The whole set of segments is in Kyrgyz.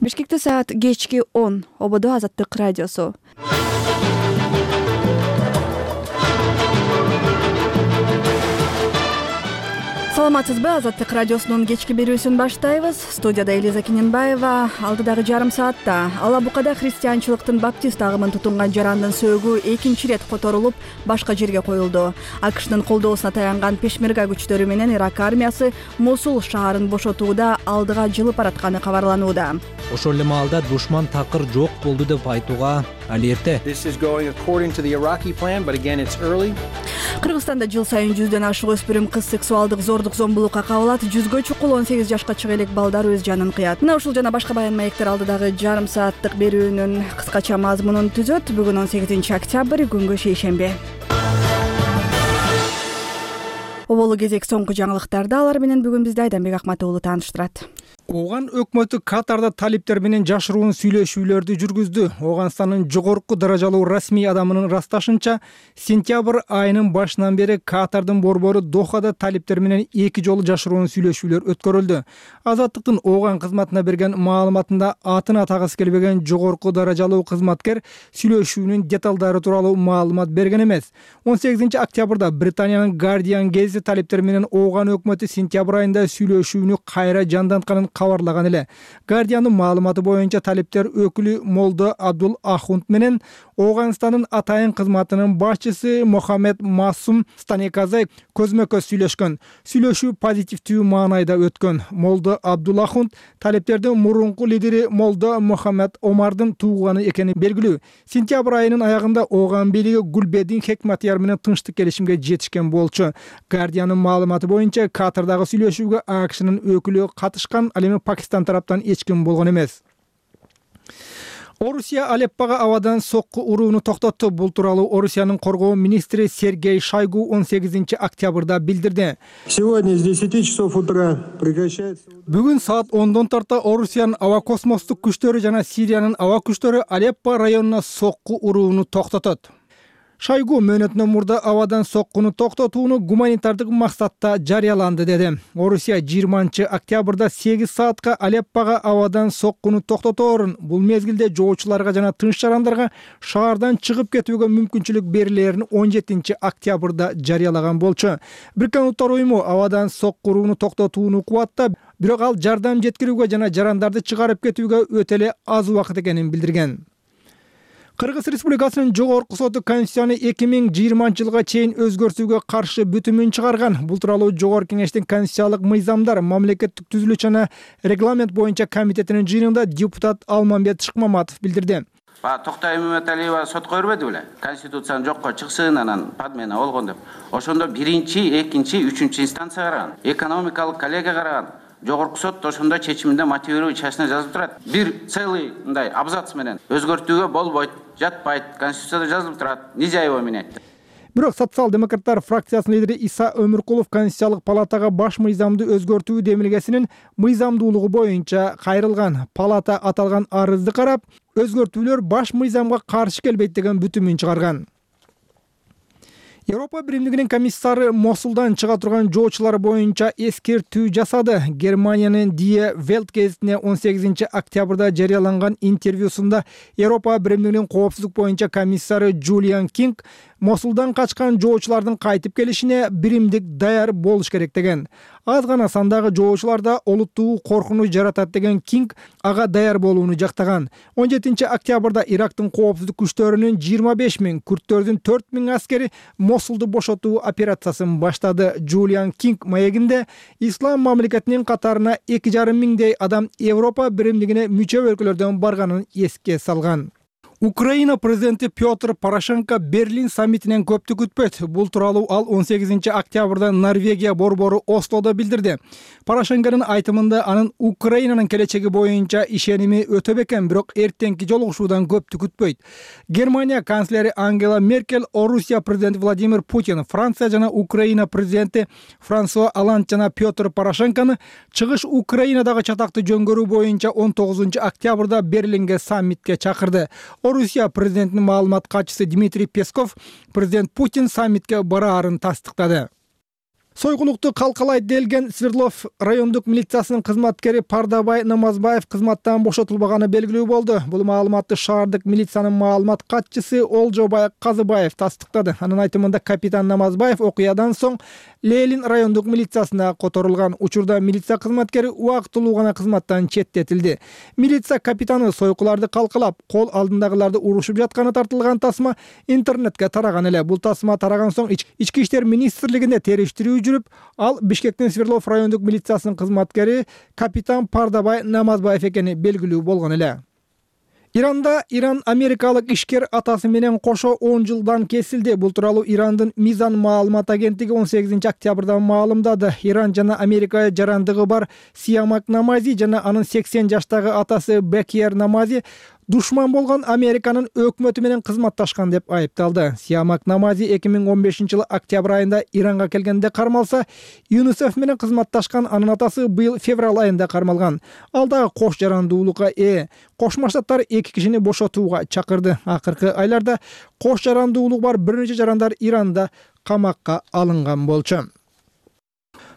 Бишкекте саат кечки 10. Ободо Азаттык радиосу. Саламатсызбы? Азаттык радиосунун кечки берүүсүн баштайбыз. Студияда Элиза Кененбаева. Алдыдагы жарым саатта Алабукада христианчылыктын баптист агымын тутунган жарандын сөөгү экинчи ирет которулуп, башка жерге коюлду. АКШнын колдоосуна таянган пешмерга күчтөрү менен Ирак армиясы Мосул шаарын бошотууда алдыга жылып баратканы кабарланууда. Ошол эле маалда душман такыр жок болду деп айтууга али эрте. Кыргызстанда жыл сайын 100дөн ашык өспүрүм кыз сексуалдык зордук зомбулукка кабылат. 100гө чукул 18 жашка чыга элек балдар өз жанын кыят. Мына ушул жана башка баян маектер алдыдагы жарым сааттык берүүнүн кыскача мазмунун түзөт. Бүгүн 18 октябрь, күнгө шейшемби. Оболу кезек соңку жаңылыктарды алар менен бүгүн бизди Айданбек Акматов уулу тааныштырат. Ооган өкмөтү Катарда талиптер менен жашыруун сүйлөшүүлөрдү жүргүздү. Ооганстандын жогорку даражалуу расмий адамынын ырасташынча, сентябрь айынын башынан бери Катардын борбору Дохада талиптер менен 2 жолу жашыруун сүйлөшүүлөр өткөрүлдү. Азаттыктын Ооган кызматына берген маалыматында атын атагысы келбеген жогорку даражалуу кызматкер сүйлөшүүнүн деталдары тууралуу маалымат берген эмес. 18 октябрда Британиянын Guardian гезити талиптер менен Ооган өкмөтү сентябрь айында сүйлөшүүнү кайра жандантканын кабарлаган эле. Guardian'дын маалыматы боюнча талиптер өкүлү Молдо Абдул Ахунд менен Ооганстандын атайын кызматынын башчысы Мохаммед Масум Станеказай көзмө-көз сүйлөшкөн. Сүйлөшүү позитивдүү маанайда өткөн. Молдо Абдул Ахунд талиптердин мурунку лидери Молдо Мохаммед Омардын тууганы экени белгилүү. Сентябрь айынын аягында Ооган бийлиги Гулбедин Хекматияр менен тынчтык келишимге жетишкен болчу. Guardian'дын маалыматы боюнча Катардагы сүйлөшүүгө АКШнын өкүлү катышкан, ал эми Пакистан тараптан эч ким болгон эмес. Орусия Алеппага авадан сокку урууну токтотту. Бул тууралуу Орусиянын коргоо министри Сергей Шойгу 18 октябрда билдирди. Сегодня с 10 часов утра прекращается. Бүгүн саат 10дон тарта Орусиянын аба космостук күчтөрү жана Сириянын аба күчтөрү Алеппо районуна сокку урууну токтотот. Шойгу мөөнөтүнөн мурда авадан соккуну токтотууну гуманитардык максатта жарыяланды деди. Орусия 20 октябрда 8 саатка Алеппага авадан соккуну токтоторун, бул мезгилде жоочуларга жана тынч жарандарга шаардан чыгып кетүүгө мүмкүнчүлүк берилерин 17 октябрда жарыялаган болчу. Бириккен Улуттар уюму авадан сокку урууну токтотууну кубаттап, бирок ал жардам жеткирүүгө жана жарандарды чыгарып кетүүгө өтө эле аз убакыт экенин билдирген. Кыргыз Республикасынын жогорку соту Конституцияны 2020 жылга чейин өзгөртүүгө каршы бүтүмүн чыгарган. Бул тууралуу Жогорку Кеңештин Конституциялык мыйзамдар, мамлекеттик түзүлүш жана регламент боюнча комитетинин жыйынында депутат Алмамбет Шыкмаматов билдирди. Токтой Мөмөталиева сотко бербеди беле? Конституцияны жокко чыксын, анан падмена болгон деп. Ошондо 1-2, 3 инстанция караган. Экономикалык коллегия караган. Жогорку сот ошондой чечиминде мотивирующий частина жазылып турат. Бир целый мындай абзац менен өзгөртүүгө болбойт, жатпайт, Конституцияда жазылып турат, нельзя его менять. Бирок социал-демократтар фракциясынын лидери Иса Өмүркулов Конституциялык палатага баш мыйзамды өзгөртүү демилгесинин мыйзамдуулугу боюнча кайрылган. Палата аталган арызды карап, өзгөртүүлөр баш мыйзамга каршы келбейт деген бүтүмүн чыгарган. Европа Биримдигинин комиссары Мосулдан чыга турган жоочулар боюнча эскертүү жасады. Германиянын Die Welt гезитине 18 октябрда жарыяланган интервьюсунда Европа Биримдигинин коопсуздук боюнча комиссары Джулиан Кинг Мосулдан качкан жоочулардын кайтып келишине биримдик даяр болуш керек деген. Аз гана сандагы жоочуларда олуттуу коркунуч жаратат деген Кинг ага даяр болууну жактаган. 17 октябрда Ирактын коопсуздук күчтөрүнүн 25 000, күрттөрдүн 4 000 аскери Мосулду бошотуу операциясын баштады. Джулиан Кинг маегинде ислам мамлекетинин катарына 2,5 миңдей адам Европа Биримдигине мүчө өлкөлөрдөн барганын эске салган. Украина президенти Петр Порошенко Берлин саммитинен көптү күтпөйт. Бул тууралуу ал 18 октябрда Норвегия борбору Ослодо билдирди. Порошенконун айтымында анын Украинанын келечеги боюнча ишеними өтө бекен, бирок эртеңки жолугушуудан көптү күтпөйт. Германия канцлери Ангела Меркель, Орусия президенти Владимир Путин, Франция жана Украина президенти Франсуа Оланд жана Петр Порошенкону чыгыш Украинадагы чатакты жөнгөрүү боюнча 19 октябрда Берлинге саммитке чакырды. Орусия президентинин маалымат катчысы Дмитрий Песков президент Путин саммитке бараарын тастыктады. Сойгулукту калкалайт делген Свердлов райондук милициясынын кызматкери Пардабай Намазбаев кызматтан бошотулбаганы белгилүү болду. Бул маалыматты шаардык милициянын маалымат катчысы Олжобай Казыбаев тастыктады. Анын айтымында капитан Намазбаев окуядан соң Ленин райондук милициясына которулган. Учурда милиция кызматкери убактылуу гана кызматтан четтетилди. Милиция капитаны сойкуларды калкалап, кол алдындагыларды урушуп жатканы тартылган тасма интернетке тараган эле. Бул тасма тараган соң Ички иштер министрлигинде териштирүү жүрүп, ал Бишкектин Свердлов райондук милициясынын кызматкери капитан Пардабай Намазбаев экени белгилүү болгон эле. Иранда Иран америкалык ишкер атасы менен кошо 10 жылдан кесилди. Бул тууралуу Ирандын Мизан маалымат агенттиги 18 октябрда маалымдады. Иран жана Америка жарандыгы бар Сиамак Намази жана анын 80 жаштагы атасы Бекер Намази душман болгон Американын өкмөтү менен кызматташкан деп айыпталды. Сиамак Намази 2015-жылы октябрь айында Иранга келгенде кармалса, ЮНИСЕФ менен кызматташкан анын атасы быйыл февраль айында кармалган. Ал дагы кош жарандуулукка Кошмо Штаттар 2 кишини бошотууга чакырды. Акыркы айларда кош жарандуулугу бар бир нече жарандар Иранда камакка алынган болчу.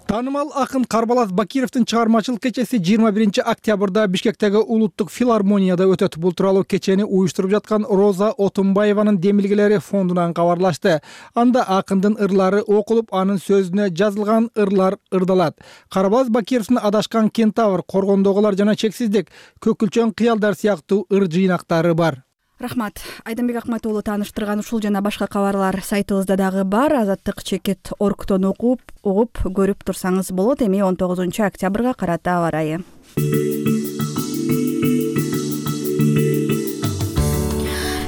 Таанымал акын Карбалас Бакировдун чыгармачылык кечеси 21 октябрда Бишкектеги улуттук филармонияда өтөт. Бул тууралуу кечени уюштуруп жаткан Роза Отунбаеванын демилгелери фондунан кабарлашты. Анда акындын ырлары окулуп, анын сөзүнө жазылган ырлар ырдалат. Карбалас Бакировдун Адашкан кентавр, Коргондогулар жана Чексиздик, Көкүлчөң кыялдар сыяктуу ыр жыйнактары бар. Рахмат. Айдамбек Акматуулу тааныштырган ушул жана башка кабарлар сайтыбызда дагы бар. Азаттык.org угуп көрүп турсаңыз болот. Эми 19 октябрга карата аба ырайы.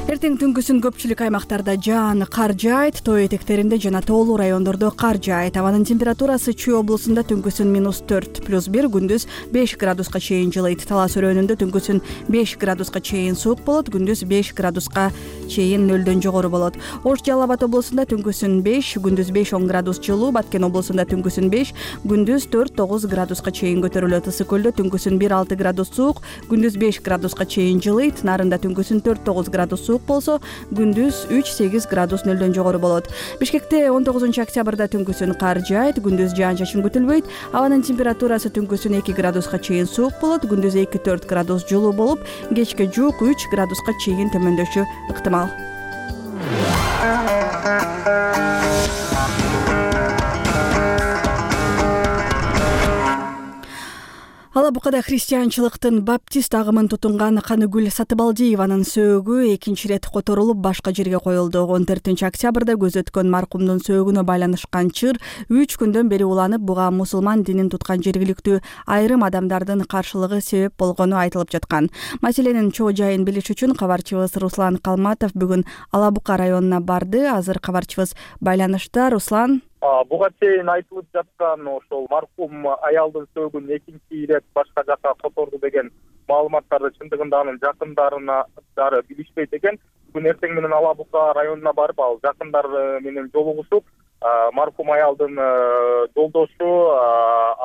Эртең түнкүсүн көпчүлүк аймактарда жаан, кар жаайт, тоо этектеринде жана тоолуу райондордо кар жаайт. Абанын температурасы Чүй облусунда түнкүсүн -4 +1, күндүз 5 градуска чейин жылыйт. Талас өрөөнүндө түнкүсүн 5 градуска чейин суук болот, күндүз 5 градуска чейин нөлдөн жогору болот. Ош Жалал Абад облусунда түнкүсүн 5, күндүз 5-10 градус жылуу, Баткен облусунда түнкүсүн 5, күндүз 4-9 градуска чейин көтөрүлөт. Ысык көлдө түнкүсүн 1-6 градус суук, күндүз 5 градуска чейин жылыйт. Нарында түнкүсүн 4-9 градус суук болсо, күндүз 3-8 градус нөлдөн жогору болот. Бишкекте 19 октябрда түнкүсүн кар жаайт, күндүз жаан-чачын күтүлбөйт. Абанын температурасы түнкүсүн 2 градуска чейин суук болот, күндүз 2-4 градус жылуу болуп, кечке жуук 3 градуска чейин төмөндөшү ыктымал. Алабукада христианчылыктын баптист агымын тутунган Каныгүл Сатыбалдиеванын сөөгү экинчи рет которулуп башка жерге коюлду. 14 октябрда көз өткөн маркумдун сөөгүнө байланышкан чыр 3 күндөн бери уланып, буга мусулман динин туткан жергиликтүү айрым адамдардын каршылыгы себеп болгону айтылып жаткан. Маселенин чоо жайын билиш үчүн кабарчыбыз Руслан Калматов бүгүн Алабука районуна барды. Азыр кабарчыбыз байланышта. Руслан, буга чейин айтылып жаткан ошол маркум аялдын сөөгүн экинчи ирет башка жакка которду деген маалыматтарды чындыгында анын жакындарынадары билишпейт экен. Бүгүн эртең менен Алабука районуна барып, ал жакындары менен жолугушуп, маркум аялдын жолдошу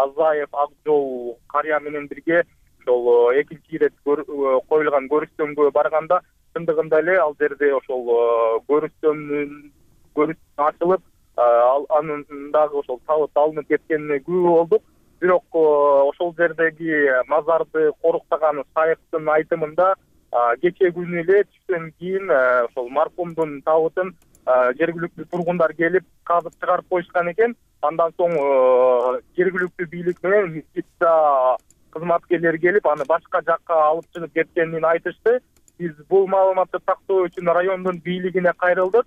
Азаев Акжол карыя менен бирге ошол экинчи ирет коюлган көрүстөнгө барганда, чындыгында эле ал жерде ошол көрүстөн ачылып, анын дагы ошол табыт алынып кеткенине күбө болдук. Бирок ошол жердеги мазарды коруктаган шайыктын айтымында кече күнү эле түштөн кийин ошол маркумдун табытын жергиликтүү тургундар келип казып чыгарып коюшкан экен. Андан соң жергиликтүү бийлик менен милиция кызматкерлери келип, аны башка жакка алып чыгып кеткенин айтышты. Биз бул маалыматты тактоо үчүн райондун бийлигине кайрылдык.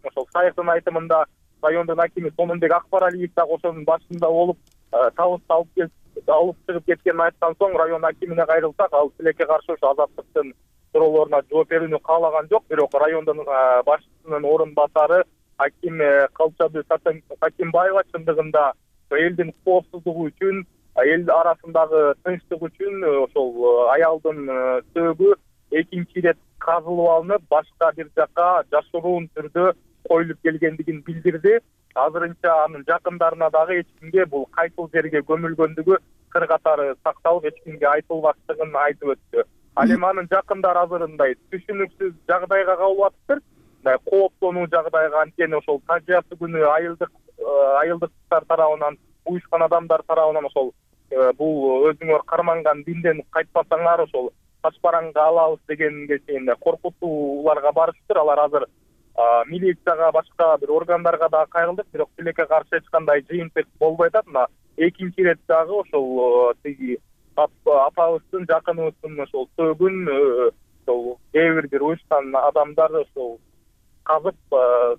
Ошол шайыктын айтымында райондун акими Сонунбек Акбаралиев дагы ошонун башында болуп, табытты алып чыгып кеткенин айткан соң район акимине кайрылсак, ал тилекке каршы ошо азаттыктын суроолоруна жооп берүүнү каалаган жок. Бирок райондун башчысынын орун басары аким Калчабы Сакимбаева чындыгында элдин коопсуздугу үчүн, эл арасындагы тынчтык үчүн ошол аялдын сөөгү экинчи ирет казылып алынып, башка бир жакка жашыруун түрдө коюлуп келгендигин билдирди. Азырынча анын жакындарына дагы эч кимге бул кайсыл жерге көмүлгөндүгү кыр катары сакталып, эч кимге айтылбаштыгын айтып өттү. Ал эми анын жакындары азыр мындай түшүнүксүз жагдайга кабылып атыптыр. мындай кооптонуу жагдайга, анткени ошол тажыясы күнү айылдыктар тарабынан, уюшкан адамдар тарабынан ошол бул өзүңөр карманган динден кайтпасаңар ошол ташбараңга алабыз дегенге чейин коркутууларга барышыптыр. Алар азыр милицияга, башка бир органдарга да кайрылдык, бирок тилекке каршы эч кандай жыйынтык болбой атат. Мына экинчи ирет дагы ошол тиги апабыздын, жакыныбыздын ошол сөөгүн ошол кээ бир уюшкан адамдар ошол казып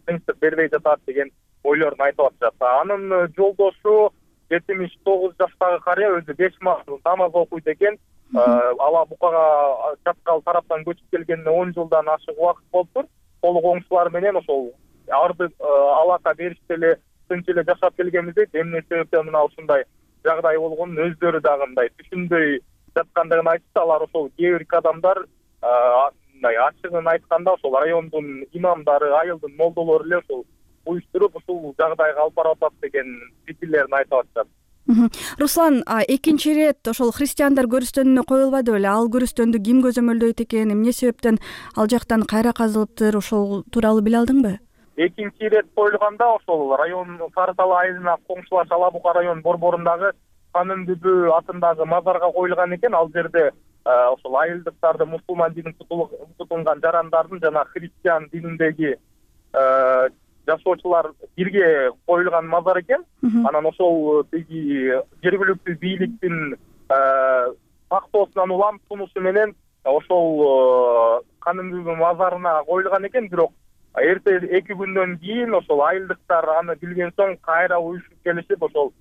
тынчтык бербей жатат деген ойлорун айтып атышат. Анын жолдошу 79 жаштагы карыя өзү 5 мазмун намаз окуйт экен. Ала Букага Чаткал тараптан көчүп келгенине 10 жылдан ашык убакыт болуптур. Толук оңчулар менен ошол арды алака бериште эле тынч эле жашап келгенбиз дейт. Эмне себептен мына ушундай жагдай болгонун өздөрү дагы мындай түшүнбөй жаткандыгын айтышты. Алар ошол кээ бир адамдар мындай ачыгын айтканда ошол райондун имамдары, айылдын молдолору эле ошол уюштуруп ушул жагдайга алып барып атат деген пикирлерин айтып атышат. Руслан, экинчи ирет ошол христиандар көрүстөнүнө коюлбады беле? Ал көрүстөндү ким көзөмөлдөйт экен, эмне себептен ал жактан кайра казылыптыр, ошол тууралуу биле алдыңбы? Экинчи ирет коюлганда ошол район Сарытал айылына коңшулаш Ала Бука район борборундагы Канын Бүбү атындагы мазарга коюлган экен. Ал жерде ошол айылдыктарды мусулман динин тутунган жарандардын жана христиан дининдеги жашоочулар бирге коюлган мазар экен. Анан ошол тиги жергиликтүү бийликтин тактоосунан улам сунушу менен ошол Канын Бүбү мазарына коюлган экен. Бирок эрте 2 күндөн кийин ошол айылдыктар аны билген соң кайра уюшуп келишип, ошол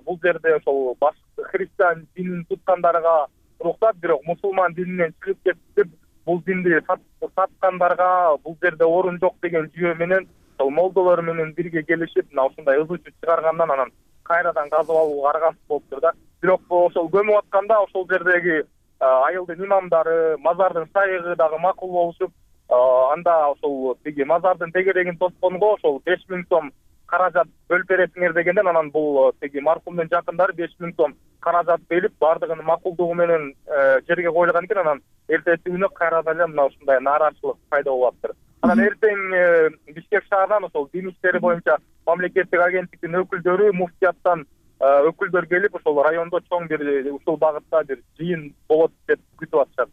бул жерде ошол башкы христиан динин туткандарга уруксат, бирок мусулман дининен чыгып кетип, бул динди саткандарга бул жерде орун жок деген жүйө менен ошол молдолор менен бирге келишип, мына ушундай ызычы чыгаргандан анан кайрадан казып алууга аргасыз болуптур да. Бирок ошол көмүп атканда ошол жердеги айылдын имамдары, мазардын шайыгы дагы макул болушуп, анда ошол тиги мазардын тегерегин тосконго ошол 5000 сом каражат бөлүп бересиңер дегенден, анан бул тиги маркумдун жакындары 5000 сом каражат берип, бардыгын макулдугу менен жерге коюлган экен. Анан эртеси күнү кайрадан эле мына ушундай нааразычылык пайда болуп атыптыр. Анан эртең Бишкек шаарынан ошол дин иштери боюнча мамлекеттик агенттиктин өкүлдөрү, муфтияттан өкүлдөр келип, ошол райондо чоң бир ушул багытта бир жыйын болот деп күтүп атышат.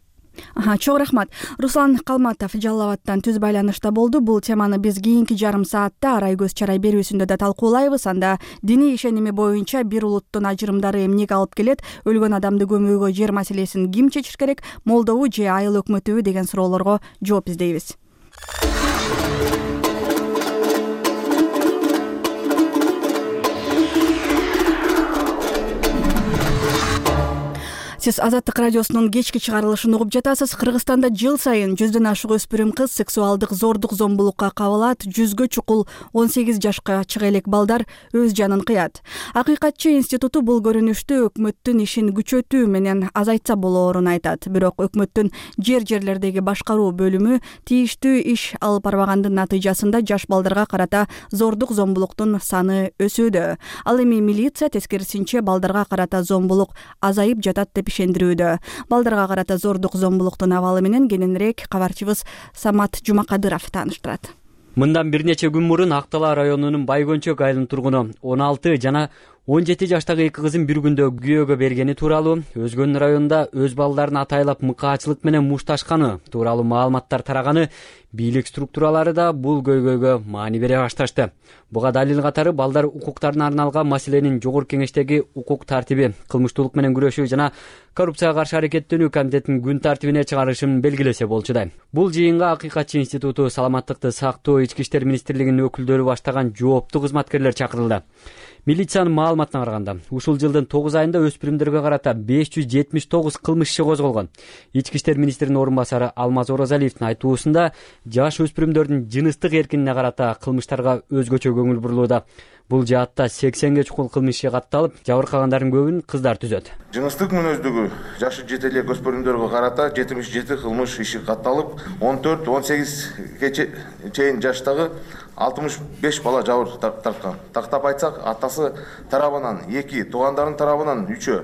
Чоң рахмат. Руслан Калматов Жалал Абадтан түз байланышта болду. Бул теманы биз кийинки жарым саатта Арай көз чарай берүүсүндө да талкуулайбыз. Анда диний ишеними боюнча бир улуттун ажырымдары эмнеге алып келет, өлгөн адамды көмүүгө жер маселесин ким чечиш керек, молдобу же айыл өкмөтүбү деген суроолорго жооп издейбиз. Сиз Азаттык радиосунун кечки чыгарылышын угуп жатасыз. Кыргызстанда жыл сайын 100дөн ашык өспүрүм кыз сексуалдык зордук зомбулукка кабылат. 100гө чукул 18 жашка чыга элек балдар өз жанын кыят. Акыйкатчы институту бул көрүнүштү өкмөттүн ишин күчөтүү менен азайтса болоорун айтат. Бирок өкмөттүн жерлердеги башкаруу бөлүмү тийиштүү иш алып барбагандын натыйжасында жаш балдарга карата зордук зомбулуктун саны өсүүдө. Ал эми милиция тескерисинче балдарга карата зомбулук азайып жатат деп ишендирүүдө. Балдарга карата зордук зомбулуктун абалы менен кененирээк кабарчыбыз Самат Жумакадыров тааныштырат. Мындан бир нече күн мурун Актала районунун Байгончок айылынын тургуну 16 жана 17 жаштагы 2 кызын бир күндө күйөөгө бергени тууралуу, Өзгөн районунда өз балдарын атайлап мыкаачылык менен мушташканы тууралуу маалыматтар тараганы, бийлик структуралары да бул көйгөйгө маани бере башташты. Буга далил катары балдар укуктарына арналган маселенин Жогорку Кеңештеги укук тартиби, кылмыштуулук менен күрөшүү жана коррупцияга каршы аракеттенүү комитетинин күн тартибине чыгарышын белгилесе болчудай. Бул жыйынга Акыйкатчы институту, саламаттыкты сактоо, Ички иштер министрлигинин өкүлдөрү баштаган жооптуу кызматкерлер чакырылды. Милициянын маалыматына караганда, ушул жылдын 9 айында өспүрүмдөргө карата 579 кылмыш иши козголгон. Ички иштер министринин орун басары Алмаз Оразалиевдин айтуусунда, жаш өспүрүмдөрдүн жыныстык эркинине карата кылмыштарга өзгөчө көңүл бурулууда. Бул жаатта 80ге чукул кылмыш иши катталып, жабыркагандардын көбүн кыздар түзөт. Жыныстык мүнөздөгү жашы жете элек өспүрүмдөргө карата 77 кылмыш иши катталып, 14-18ге чейин жаштагы 65 бала жабыр тарткан. Тактап айтсак, атасы тарабынан 2, туугандардын тарабынан 3,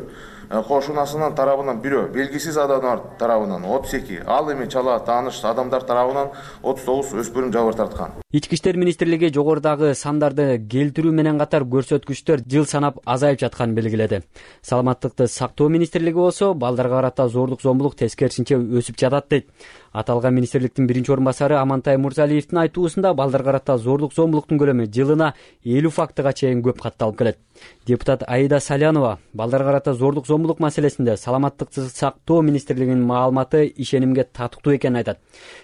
кошунасынын тарабынан бирөө, белгисиз адамдар тарабынан 32, ал эми чала тааныш адамдар тарабынан 39 өспүрүм жабыр тарткан. Ички иштер министрлиги жогорудагы сандарды келтирүү менен катар көрсөткүчтөр жыл санап азайып жатканын белгиледи. Саламаттыкты сактоо министрлиги болсо балдарга карата зордук зомбулук тескерисинче өсүп жатат дейт. Аталган министрликтин биринчи орун басары Амантай Мурзалиевдин айтуусунда балдарга карата зордук зомбулуктун көлөмү жылына 50 фактыга чейин көп катталып келет. Депутат Аида Салянова балдарга карата зордук зомбулук маселесинде саламаттыкты сактоо министрлигинин маалыматы ишенимге татыктуу экенин айтат.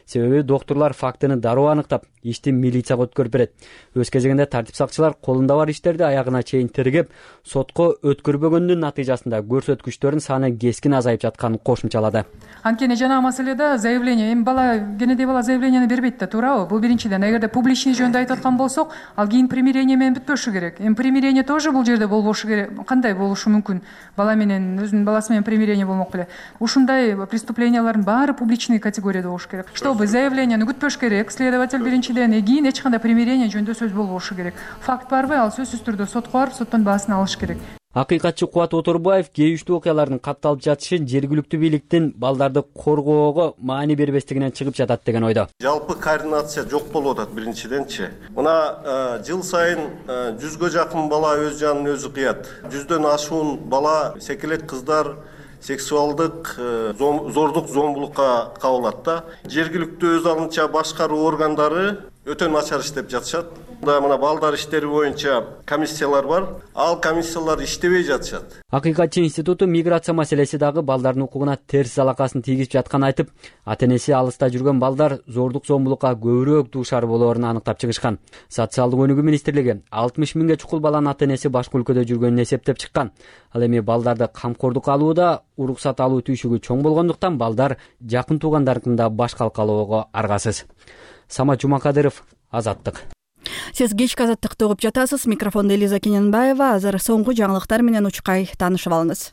Себеби докторлор фактыны дароо аныктап, ишти милицияга өткөрүп берет. Өз кезегинде тартип сакчылар колунда бар иштерди аягына чейин тергеп, сотко өткөрбөгөндүн натыйжасында көрсөткүчтөрдүн саны кескин азайып жатканын кошумчалады. Анткени жанагы маселеде заявление, эми бала кенедей бала заявлениени бербейт да, туурабы? Бул биринчиден. Эгерде публичный жөнүндө айтып аткан болсок, ал кийин примирение менен бүтпөшү керек. Эми примирение тоже бул жерде болбошу керек. Кандай болушу мүмкүн? Бала менен өзүнүн баласы менен примирение болмок беле. Ушундай преступлениялардын баары публичный категорияда болушу керек. Чтобы заявлениени күтпөш керек, следователь биринчиден, кийин эч кандай примирение жөнүндө сөз болбошу керек. Факт барбы? Ал сөзсүз түрдө сотко барып, соттон баасын алыш керек. Акыйкатчы Кубат Оторбаев кейиштүү окуялардын катталып жатышын жергиликтүү бийликтин балдарды коргоого маани бербестигинен чыгып жатат деген ойдо. Жалпы координация жок болуп атат биринчиденчи. Мына жыл сайын 100гө жакын бала өз жанын өзү кыят. 100дөн ашуун бала, секелек кыздар сексуалдык зордук зомбулукка кабылат да. Жергиликтүү өз алынча башкаруу органдары өтө начар иштеп жатышат. Мына балдар иштери боюнча комиссиялар бар. Ал комиссиялар иштебей жатышат. Акыйкатчы институту миграция маселеси дагы балдардын укугуна терс залакасын тийгизип жатканын айтып, ата-энеси алыста жүргөн балдар зордук зомбулукка көбүрөөк дуушар болоорун аныктап чыгышкан. Социалдык өнүгүү министрлиги 60 миңге чукул баланын ата-энеси башка өлкөдө жүргөнүн эсептеп чыккан. Ал эми балдарды камкордукка алууда уруксат алуу түйшүгү чоң болгондуктан балдар жакын туугандарынын башка алууга аргасыз. Самат Жумакадыров, Азаттык. Сиз кечки Азаттыкты угуп жатасыз. Микрофондо Элиза Кененбаева. Азыр соңку жаңылыктар менен учкай таанышып алыңыз.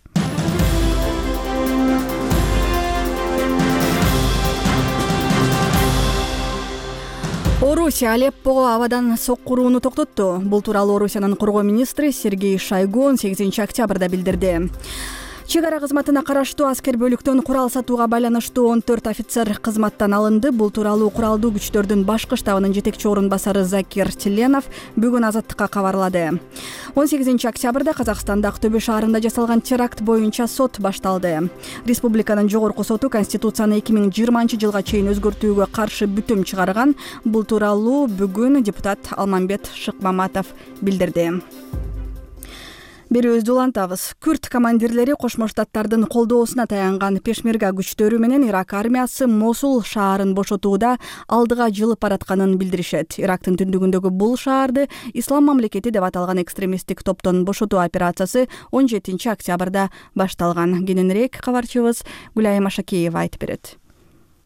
Орусия Алеппого абадан соккурууну токтотту. Бул тууралуу Орусиянын коргоо министри Сергей Шойгу 18 октябрда билдирди. Чек ара кызматына караштуу аскер бөлүктөн курал сатууга байланыштуу 14 офицер кызматтан алынды. Бул тууралуу куралдуу күчтөрдүн башкы штабынын жетекчи орун басары Закир Тиленов бүгүн Азаттыкка кабарлады. 18 октябрда Казакстанда Актөбө шаарында жасалган теракт боюнча сот башталды. Республиканын жогорку соту Конституцияны 2020 жылга чейин өзгөртүүгө каршы бүтүм чыгарган. Бул тууралуу бүгүн депутат Алмамбет Шыкмаматов билдирди. Берүүбүздү улантабыз. Күрд командирлери Кошмо Штаттардын колдоосуна таянган пешмерга күчтөрү менен Ирак армиясы Мосул шаарын бошотууда алдыга жылып баратканын билдиришет. Ирактын түндүгүндөгү бул шаарды Ислам мамлекети деп аталган экстремисттик топтон бошотуу операциясы 17 октябрда башталган. Кененирээк кабарчыбыз Гүлайым Ашакеева айтып берет.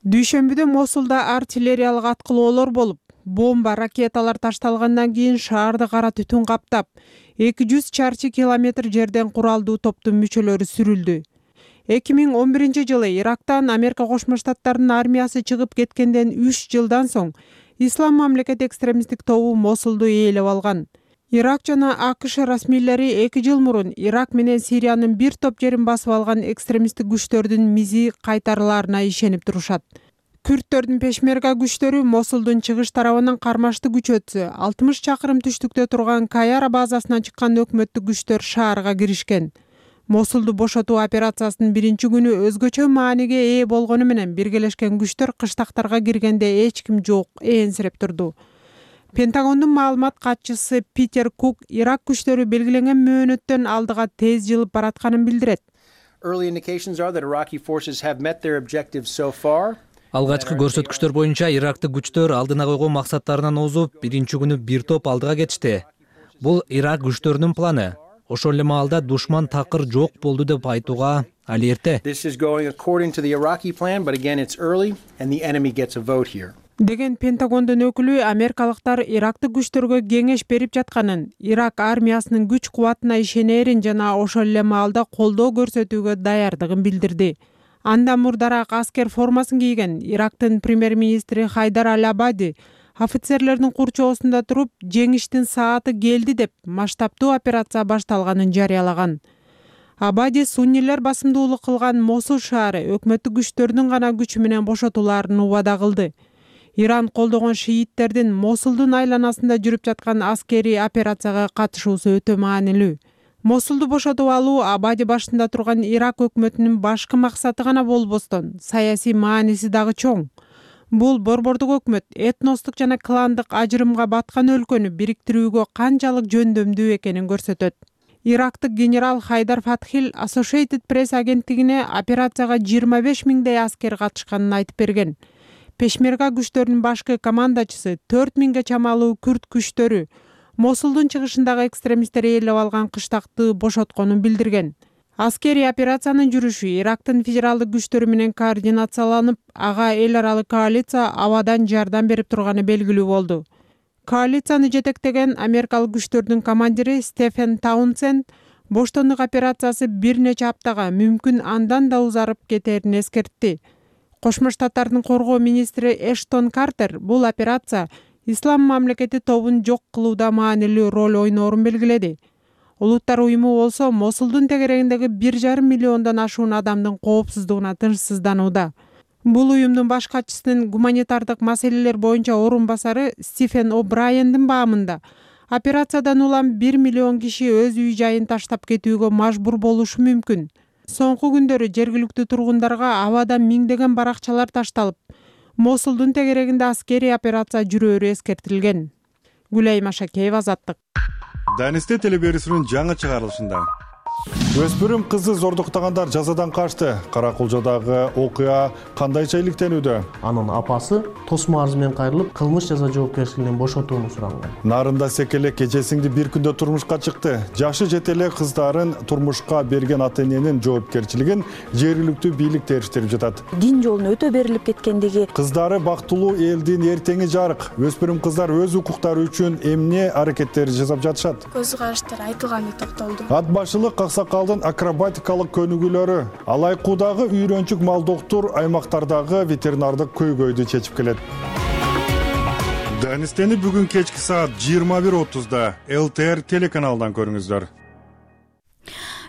Дүйшөмбүдө Мосулда артиллериялык аткылоолор болуп, бомба, ракеталар ташталгандан кийин шаарды кара түтүн каптап, 200 чарчы километр жерден куралдуу топтун мүчөлөрү сүрүлдү. 2011 жылы Ирактан Америка Кошмо Штаттарынын армиясы чыгып кеткенден 3 жылдан соң Ислам мамлекет экстремисттик тобу Мосулду ээлеп алган. Ирак жана АКШ расмийлери 2 жыл мурун Ирак менен Сириянын бир топ жерин басып алган экстремисттик күчтөрдүн мизи кайтарылаарына ишенип турушат. Күрдтөрдүн пешмерга күчтөрү Мосулдун чыгыш тарабынан кармашты күч өтсө, 60 чакырым түштүктө турган Каяра базасынан чыккан өкмөттүк күчтөр шаарга киришкен. Мосулду бошотуу операциясынын биринчи күнү өзгөчө мааниге ээ болгону менен биргелешкен күчтөр кыштактарга киргенде эч ким жок, ээнсиреп турду. Пентагондун маалымат катчысы Питер Кук Ирак күчтөрү белгиленген мөөнөттөн алдыга тез жылып баратканын билдирет. Алгачкы көрсөткүчтөр боюнча Ирактык күчтөр алдына койгон максаттарынан озуп, биринчи күнү бир топ алдыга кетишти. Бул Ирак күчтөрүнүн планы. Ошол эле маалда душман такыр жок болду деп айтууга ал эрте. Деген Пентагондун өкүлү америкалыктар Ирактык күчтөргө кеңеш берип жатканын, Ирак армиясынын күч кубатына ишенерин жана ошол эле маалда колдоо көрсөтүүгө даярдыгын билдирди. Андан мурдараак аскер формасын кийген Ирактын премьер-министри Хайдар Аль-Абади офицерлердин курчоосунда туруп, жеңиштин сааты келди деп масштабтуу операция башталганын жарыялаган. Абади суннилер басымдуулук кылган Мосул шаары өкмөттүк күчтөрдүн гана күчү менен бошотуларын убада кылды. Иран колдогон шииттердин Мосулдун айланасында жүрүп жаткан аскерий операцияга катышуусу өтө маанилүү. Мосулду бошотуп алуу Абади башында турган Ирак өкмөтүнүн башкы максаты гана болбостон, саясий мааниси дагы чоң. Бул борбордук өкмөт этностук жана кландык ажырымга баткан өлкөнү бириктирүүгө канчалык жөндөмдүү экенин көрсөтөт. Ирактык генерал Хайдар Фатхил Associated Press агенттигине операцияга 25 миңдей аскер катышканын айтып берген. Пешмерга күчтөрүнүн башкы командачысы 4 миңге чамалуу күрд күчтөрү Мосулдун чыгышындагы экстремисттер ээлеп алган кыштакты бошотконун билдирген. Аскерий операциянын жүрүшү Ирактын федералдык күчтөрү менен координацияланып, ага эл аралык коалиция абадан жардам берип турганы белгилүү болду. Коалицияны жетектеген америкалык күчтөрдүн командири Стефен Таунсенд боштондук операциясы бир нече аптага, мүмкүн андан да узарып кетерин эскертти. Кошмо Штаттардын коргоо министри Эштон Картер бул операция Ислам мамлекети тобун жок кылууда маанилүү роль ойноорун белгиледи. Улуттар уюму болсо Мосулдун тегерегиндеги 1,5 миллиондон ашуун адамдын коопсуздугуна тынчсызданууда. Бул уюмдун баш катчысынын гуманитардык маселелер боюнча орун басары Стивен О'Брайендин баамында операциядан улам 1 миллион киши өз үй жайын таштап кетүүгө мажбур болушу мүмкүн. Соңку күндөрү жергиликтүү тургундарга абадан миңдеген баракчалар ташталып, Мосулдун тегерегинде аскерий операция жүрөөрү эскертилген. Гүлайым Ашакеева, Азаттык. Данисте телеберүүсүнүн жаңы чыгарылышында өспүрүм кызды зордуктагандар жазадан качты. Каракулжадагы окуя кандайча иликтенүүдө? Анын апасы тосмо арыз менен кайрылып, кылмыш жаза жоопкерчилигинен бошотууну суранган. Нарында Секелек эжесиңди бир күндө турмушка чыкты. Жашы жете эле кыздарын турмушка берген ата-эненин жоопкерчилигин жергиликтүү бийлик териштирип жатат. Дин жолуна өтө берилип кеткендиги. Кыздары бактылуу элдин эртеңи жарык. Өспүрүм кыздар өз укуктары үчүн эмне аракеттер жасап жатышат? Көз караштар айтылганы токтолду. Ат башылык аксакалдын акробатикалык көнүгүүлөрү, Алайкуудагы үйрөнчүк мал доктур аймактардагы ветеринардык көйгөйдү чечип келет. Данистени бүгүн кечки саат 21:30 ЛТР телеканалынан көрүңүздөр.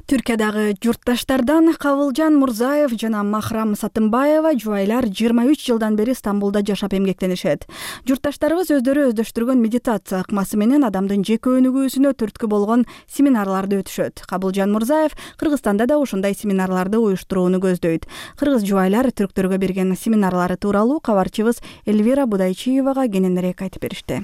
Түркиядагы журтташтардан Кабылжан Мурзаев жана Махрам Сатымбаева жубайлар 23 жылдан бери Стамбулда жашап эмгектенишет. Журтташтарыбыз өздөрү өздөштүргөн медитация ыкмасы менен адамдын жеке өнүгүүсүнө түрткү болгон семинарларды өтүшөт. Кабылжан Мурзаев Кыргызстанда да ушундай семинарларды уюштурууну көздөйт. Кыргыз жубайлар түрктөргө берген семинарлары тууралуу кабарчыбыз Эльвира Будайчиевага кененирээк айтып беришти.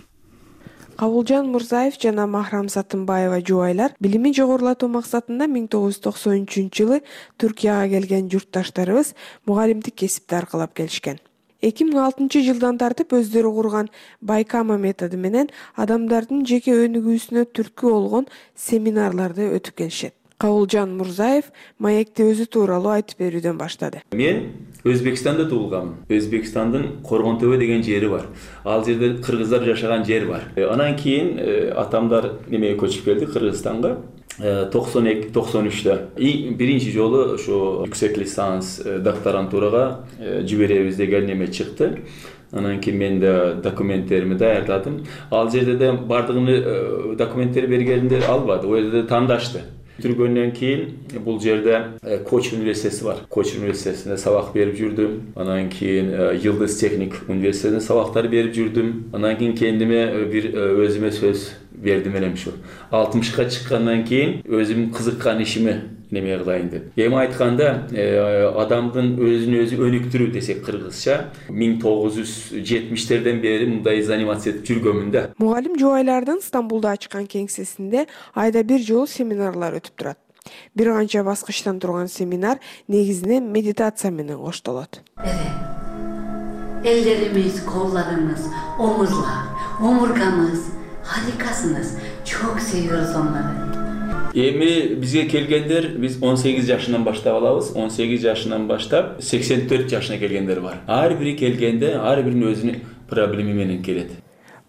Кабылжан Мурзаев жана Махрам Сатымбаева жубайлар билими жогорулатуу максатында 1993-жылы Түркияга келген журтташтарыбыз мугалимдик кесипти аркылап келишкен. 2006-жылдан тартып өздөрү курган Байкама методу менен адамдардын жеке өнүгүүсүнө түрткү болгон семинарларды өтүп келишет. Кабылжан Мурзаев маекти өзү тууралуу айтып берүүдөн баштады. Мен Өзбекстанда туулганмын. Өзбекстандын Коргон Төбө деген жери бар. Ал жерде кыргыздар жашаган жер бар. Анан кийин атамдар немеге көчүп келди Кыргызстанга. 92-93-та. Биринчи жолу ошо yüksek lisans докторантурага жиберебиз деген неме чыкты. Анан кийин мен да документтеримди даярдадым. Ал жерде де бардыгын документтер бергенде албады. Ол жерде тандашты. Түргөндөн кийин бул жерде Коч университети бар. Коч университетинде сабак берип жүрдүм. Анан кийин Yıldız Teknik университетинде сабактар берип жүрдүм. Анан кийин кендиме бир өзүмө сөз бердим элем ушу. 60ка чыккандан кийин өзүм кызыккан ишиме неме кылайын деп. Эми айтканда адамдын өзүн өзү өнүктүрүү десек кыргызча 1970-терден бери мындай занимация этип жүргөмүн да. Мугалим жубайлардын Стамбулда ачкан кеңсесинде айда бир жолу семинарлар өтүп турат. Бир канча баскычтан турган семинар негизинен медитация менен коштолот. Ellerimiz, kollarımız, omuzlar, omurgamız, harikasınız. Çok seviyoruz onları. Эми бизге келгендер биз 18 жашынан баштап алабыз. 18 жашынан баштап 84 жашына келгендер бар. Ар бири келгенде ар биринин өзүнүн проблеми менен келет.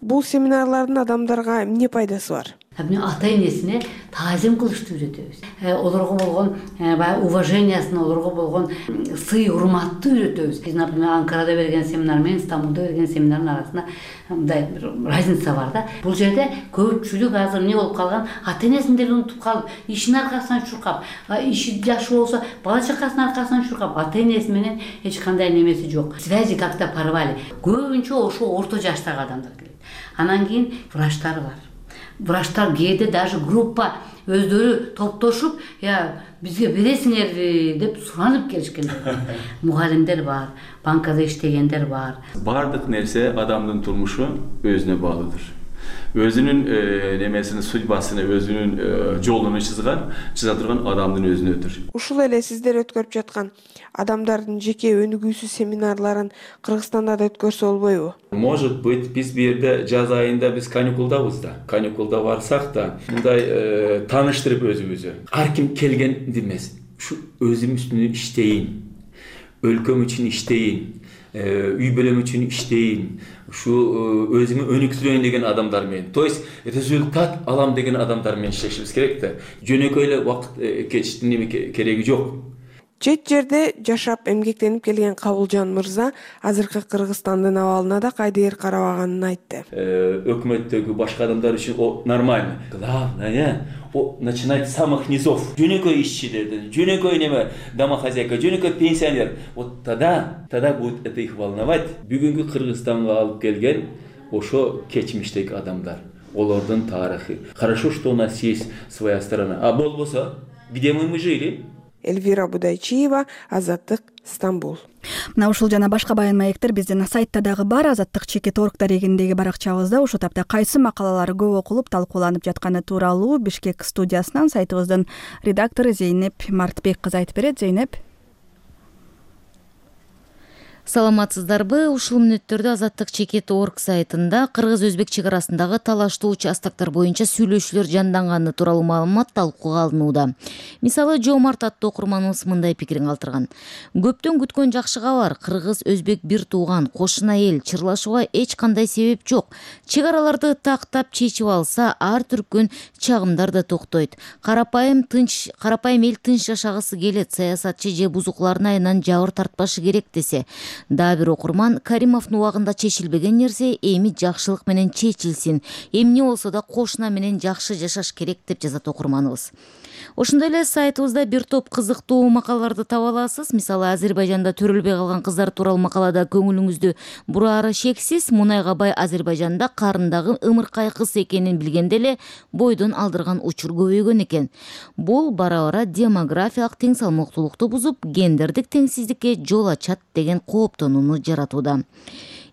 Бул семинарлардын адамдарга эмне пайдасы бар? ата энесине таазим кылышты үйрөтөбүз. Олорго болгон баягы уважениясын, олорго болгон сый урматты үйрөтөбүз. Биз, например, Анкарада берген семинар менен Стамбулда берген семинардын арасында мындай разница бар да. Бул жерде көпчүлүк азыр эмне болуп калган, ата энесин деле унутуп калып, ишин аркасынан чуркап, иши жакшы болсо бала чакасынын аркасынан чуркап, ата энеси менен эч кандай немеси жок. Связи как-то порвали. Көбүнчө ошо орто жаштагы адамдар келет. Анан кийин врачтар бар. Врачтар кээде даже группа өздөрү топтошуп, бизге бересиңерби деп суранып келишкендер. Мугалимдер бар, банкада иштегендер бар. Бардык нерсе адамдын турмушу өзүнө баалууdur. Өзүнүн немесини, судьбасыны, өзүнүн жолун чыза турган адамдын өзүнөдүр. Ушул эле сиздер өткөрүп жаткан адамдардын жеке өнүгүүсү семинарларын Кыргызстанда да өткөрсө болбойбу? Может быть, биз бу жерде жаз айында биз каникулдабыз да. Каникулда барсак да, мындай тааныштырып өзүбүзү. Ар ким келгенди эмес. Ушу өзүм үстүнө иштейин, өлкөм үчүн иштейин, үй бүлөм үчүн иштейин, ушу өзүмө өнүктүрөйүн деген адамдар менен, то есть результат алам деген адамдар менен иштешибиз керек да. Жөнөкөй эле убакыт кечтин кереги жок. Чет жерде жашап эмгектенип келген Кабылжан мырза азыркы Кыргызстандын абалына да кайдыгер карабаганын айтты. Өкмөттөгү башка адамдар үчүн нормально. Главное начинать с самых низов. Жөнөкөй ишчилерден, жөнөкөй неме домохозяйка, жөнөкөй пенсионер. Вот тогда будет это их волновать. Бүгүнкү Кыргызстанга алып келген ошо кечмиштеги адамдар. Олордун тарыхы. Хорошо, что у нас есть своя страна. А болбосо, где мы жили? Эльвира Будайчиева, Азаттык, Стамбул. Мына ушул жана башка баян маектер биздин сайтта дагы бар. Азаттык чекит орг дарегиндеги баракчабызда ушул тапта кайсы макалалар көп окулуп талкууланып жатканы тууралуу Бишкек студиясынан сайтыбыздын редактору Зейнеп Мартбек кызы айтып берет. Зейнеп. Саламатсыздарбы? Ушул мүнөттөрдө Азаттык чекит орг сайтында кыргыз-өзбек чек арасындагы талаштуу участактар боюнча сүйлөшүүлөр жанданганы тууралуу маалымат талкууга алынууда. Мисалы, Жоомарт аттуу окурманыбыз мындай пикирин калтырган. Көптөн күткөн жакшы кабар. Кыргыз-өзбек бир тууган, кошуна эл, чырлашууга эч кандай себеп жок. Чек араларды тактап чечип алса, ар түркүн чагымдар да токтойт. Карапайым эл тынч жашагысы келет. Саясатчы же бузуклардын айынан жабыр тартпашы керек десе. Да бир окурман, Каримовдун убагында чечилбеген нерсе эми жакшылык менен чечилсин. Эмне болсо да кошуна менен жакшы жашаш керек деп жазат окурманыбыз. Ошондой эле сайтыбызда бир топ кызыктуу макалаларды таба аласыз. Мисалы, Азербайжанда төрөлбөй калган кыздар тууралуу макалада көңүлүңүздү бурары шексиз. Мунайга бай Азербайжанда карындагы ымыркай кыз экенин билгенде эле бойдон алдырган учур көбөйгөн экен. Бул бара-бара демографиялык тең салмактуулукту бузуп, гендердик теңсиздикке жол ачат деген кооптонууну жаратууда.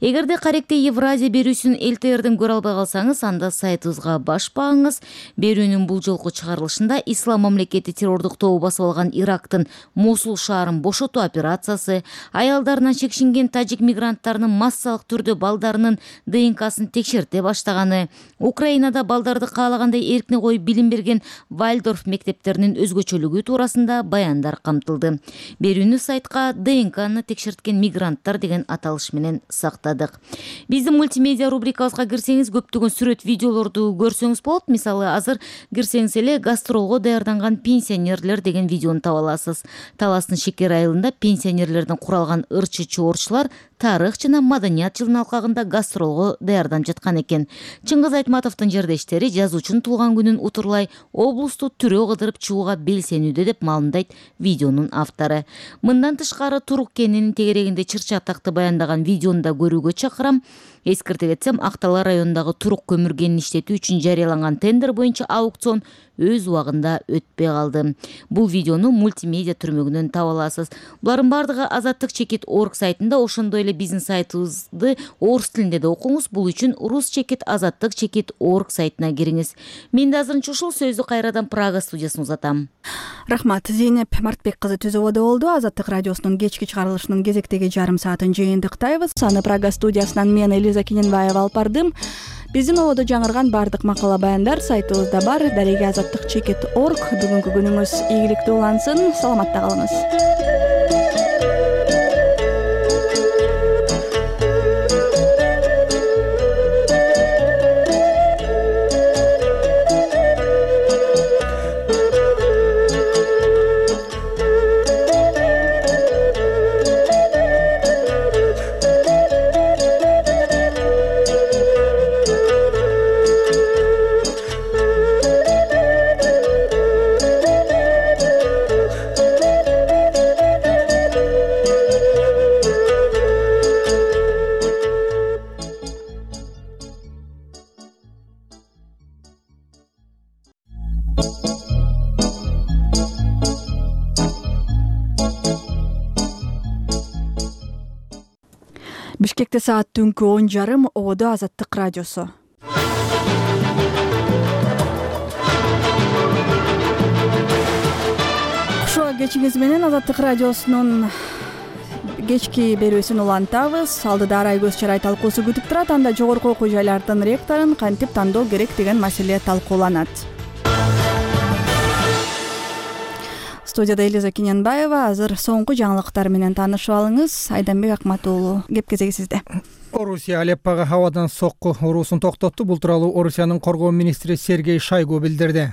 Эгерде каректе Евразия берүүсүн ЛТРден көрө албай калсаңыз, анда сайтыбызга баш багыңыз. Берүүнүн бул жолку чыгарылышында Ислам мамлекети террордук тобу басып алган Ирактын Мосул шаарын бошотуу операциясы, аялдарынан чекшинген тажик мигранттарынын массалык түрдө балдарынын ДНКсын текшерте баштаганы, Украинада балдарды каалагандай эркине коюп билим берген Вальдорф мектептеринин өзгөчөлүгү туурасында баяндар камтылды. Берүүнү сайтка ДНКны текшерткен мигранттар деген аталыш менен сактады. Биздин мультимедиа рубрикабызга кирсеңиз, көптөгөн сүрөт, видеолорду көрсөңүз болот. Мисалы, азыр кирсеңиз эле гастролго даярданган пенсионерлер деген видеону таба аласыз. Таластын Шекер айылында пенсионерлерден куралган ырчы чуворчулар тарых жана маданият жылынын алкагында гастролго даярданып жаткан экен. Чыңгыз Айтматовдун жардештери жазуучунун туулган күнүн утурлай облусту түрөө кыдырып чыгууга белсенүүдө деп маалымдайт видеонун автору. Мындан тышкары Турук кенинин тегерегинде чырчы атакты баяндаган видеону да көрүүгө чакырам. Эскертип кетсем, Актала районундагы Турук көмүр кенин иштетүү үчүн жарыяланган тендер боюнча аукцион өз убагында өтпөй калды. Бул видеону мультимедиа түрмөгүнөн таба аласыз. Булардын бардыгы Азаттык чекит орг сайтында, ошондой эле биздин сайтыбызды орус тилинде да окуңуз. Бул үчүн рус чекит Азаттык чекит орг сайтына кириңиз. Мен да азырынча ушул сөздү кайрадан Прага студиясына узатам. Рахмат. Зейнеп Мартбек кызы түзүүдө болду. Азаттык радиосунун кечки чыгарылышынын кезектеги жарым саатын жыйынтыктайбыз. Аны Прага студиясынан мен Элиза Киненбаева алып бардым. Биздин ободо жаңырган бардык макала баяндар сайтыбызда бар. Дареги Азаттык чекит орг. Бүгүнкү күнүңүз ийгиликтүү улансын. Саламатта калыңыз. Бишкекте саат түнкү 10:30. Ободо Азаттык радиосу. Ушул кечиңиз менен Азаттык радиосунун кечки берүүсүн улантабыз. Алдыда арай көз чарай талкуусу күтүп турат. Анда жогорку окуу жайлардын ректорун кантип тандоо керек деген маселе талкууланат. Студияда Элиза Киненбаева. Азыр соңку жаңылыктар менен таанышып алыңыз. Айданбек Акматуулу, кеп кезеги сизде. Орусия Алеппага абадан сокку уруусун токтотту. Бул тууралуу Орусиянын коргоо министри Сергей Шойгу билдирди.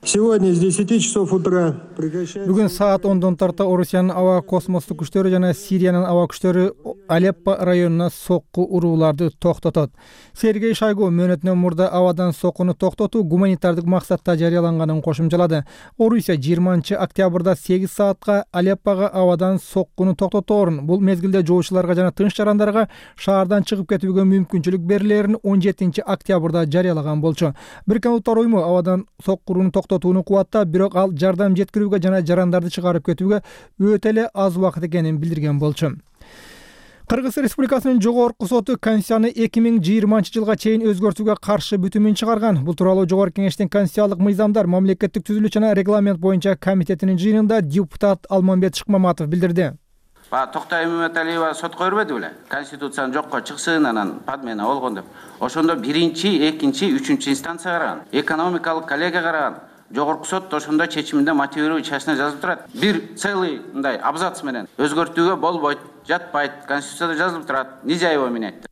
Сегодня с 10 часов утра прекращается... Бүгүн саат 10-дон тарта Орусиянын аба космостук күчтөрү жана Сириянын аба күчтөрү Алеппо районуна сокку урууларды токтотот. Сергей Шойгу мөөнөтүнөн мурда абадан соккуну токтотуу гуманитардык максатта жарыяланганын кошумчалады. Орусия 20-октябрда 8 саатка Алеппого абадан соккуну токтоторун, бул мезгилде жоочуларга жана тынч жарандарга шаардан чыгып кетүүгө мүмкүнчүлүк берилерин 17-октябрда жарыялаган болчу. Бириккен Улуттар уюму абадан соккуну токтотууну кубаттап, бирок ал жардам жеткирүүгө жана жарандарды чыгарып кетүүгө өтө эле аз убакыт экенин билдирген болчу. Кыргыз Республикасынын жогорку соту Конституцияны 2020-жылга чейин өзгөртүүгө каршы бүтүмүн чыгарган. Бул тууралуу Жогорку Кеңештин Конституциялык мыйзамдар, мамлекеттик түзүлүш жана регламент боюнча комитетинин жыйынында депутат Алмамбет Шыкмаматов билдирди. Токтой Мөмөталиева сотко бербеди беле? Конституцияны жокко чыксын, анан падмена болгон деп. Ошондо биринчи, экинчи, үчүнчү инстанция караган, экономикалык коллегия караган. Жогорку сот ошондо чечиминде мотивирую частина жазып турат. Бир целый мындай абзац менен өзгөртүүгө болбойт, жатпайт, Конституцияда жазылып турат. Нижаева мен айтты.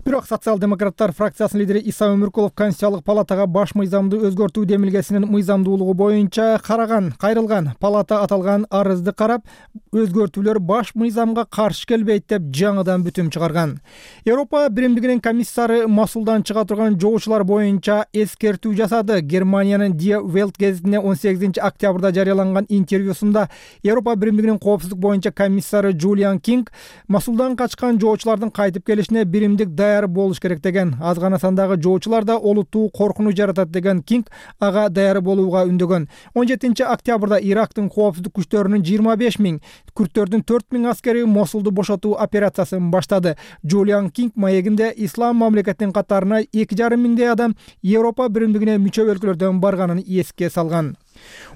Бирок социал-демократтар фракциясынын лидери Иса Өмүркулов Конституциялык палатага баш мыйзамды өзгөртүү демилгесинин мыйзамдуулугу боюнча кайрылган. Палата аталган арызды карап, өзгөртүүлөр баш мыйзамга каршы келбейт деп жаңыдан бүтүм чыгарган. Европа Биримдигинин комиссары Масулдан чыга турган жоочулар боюнча эскертүү жасады. Германиянын Die Welt гезитине 18-октябрда жарыяланган интервьюсунда Европа Биримдигинин коопсуздук боюнча комиссары Джулиан Кинг Масулдан качкан жоочулардын кайтып келишине биримдик даяр болуш керек деген. Аз гана сандагы жоочулар да олуттуу коркунуч жаратат деген Кинг ага даяр болууга үндөгөн. 17-октябрда Ирактын коопсуздук күчтөрүнүн 25 000, күрттөрдүн 4 000 аскери Мосулду бошотуу операциясын баштады. Джулиан Кинг маегинде ислам мамлекетинин катарына 2,5 миңдей адам Европа Биримдигине мүчө өлкөлөрдөн барганын эске салган.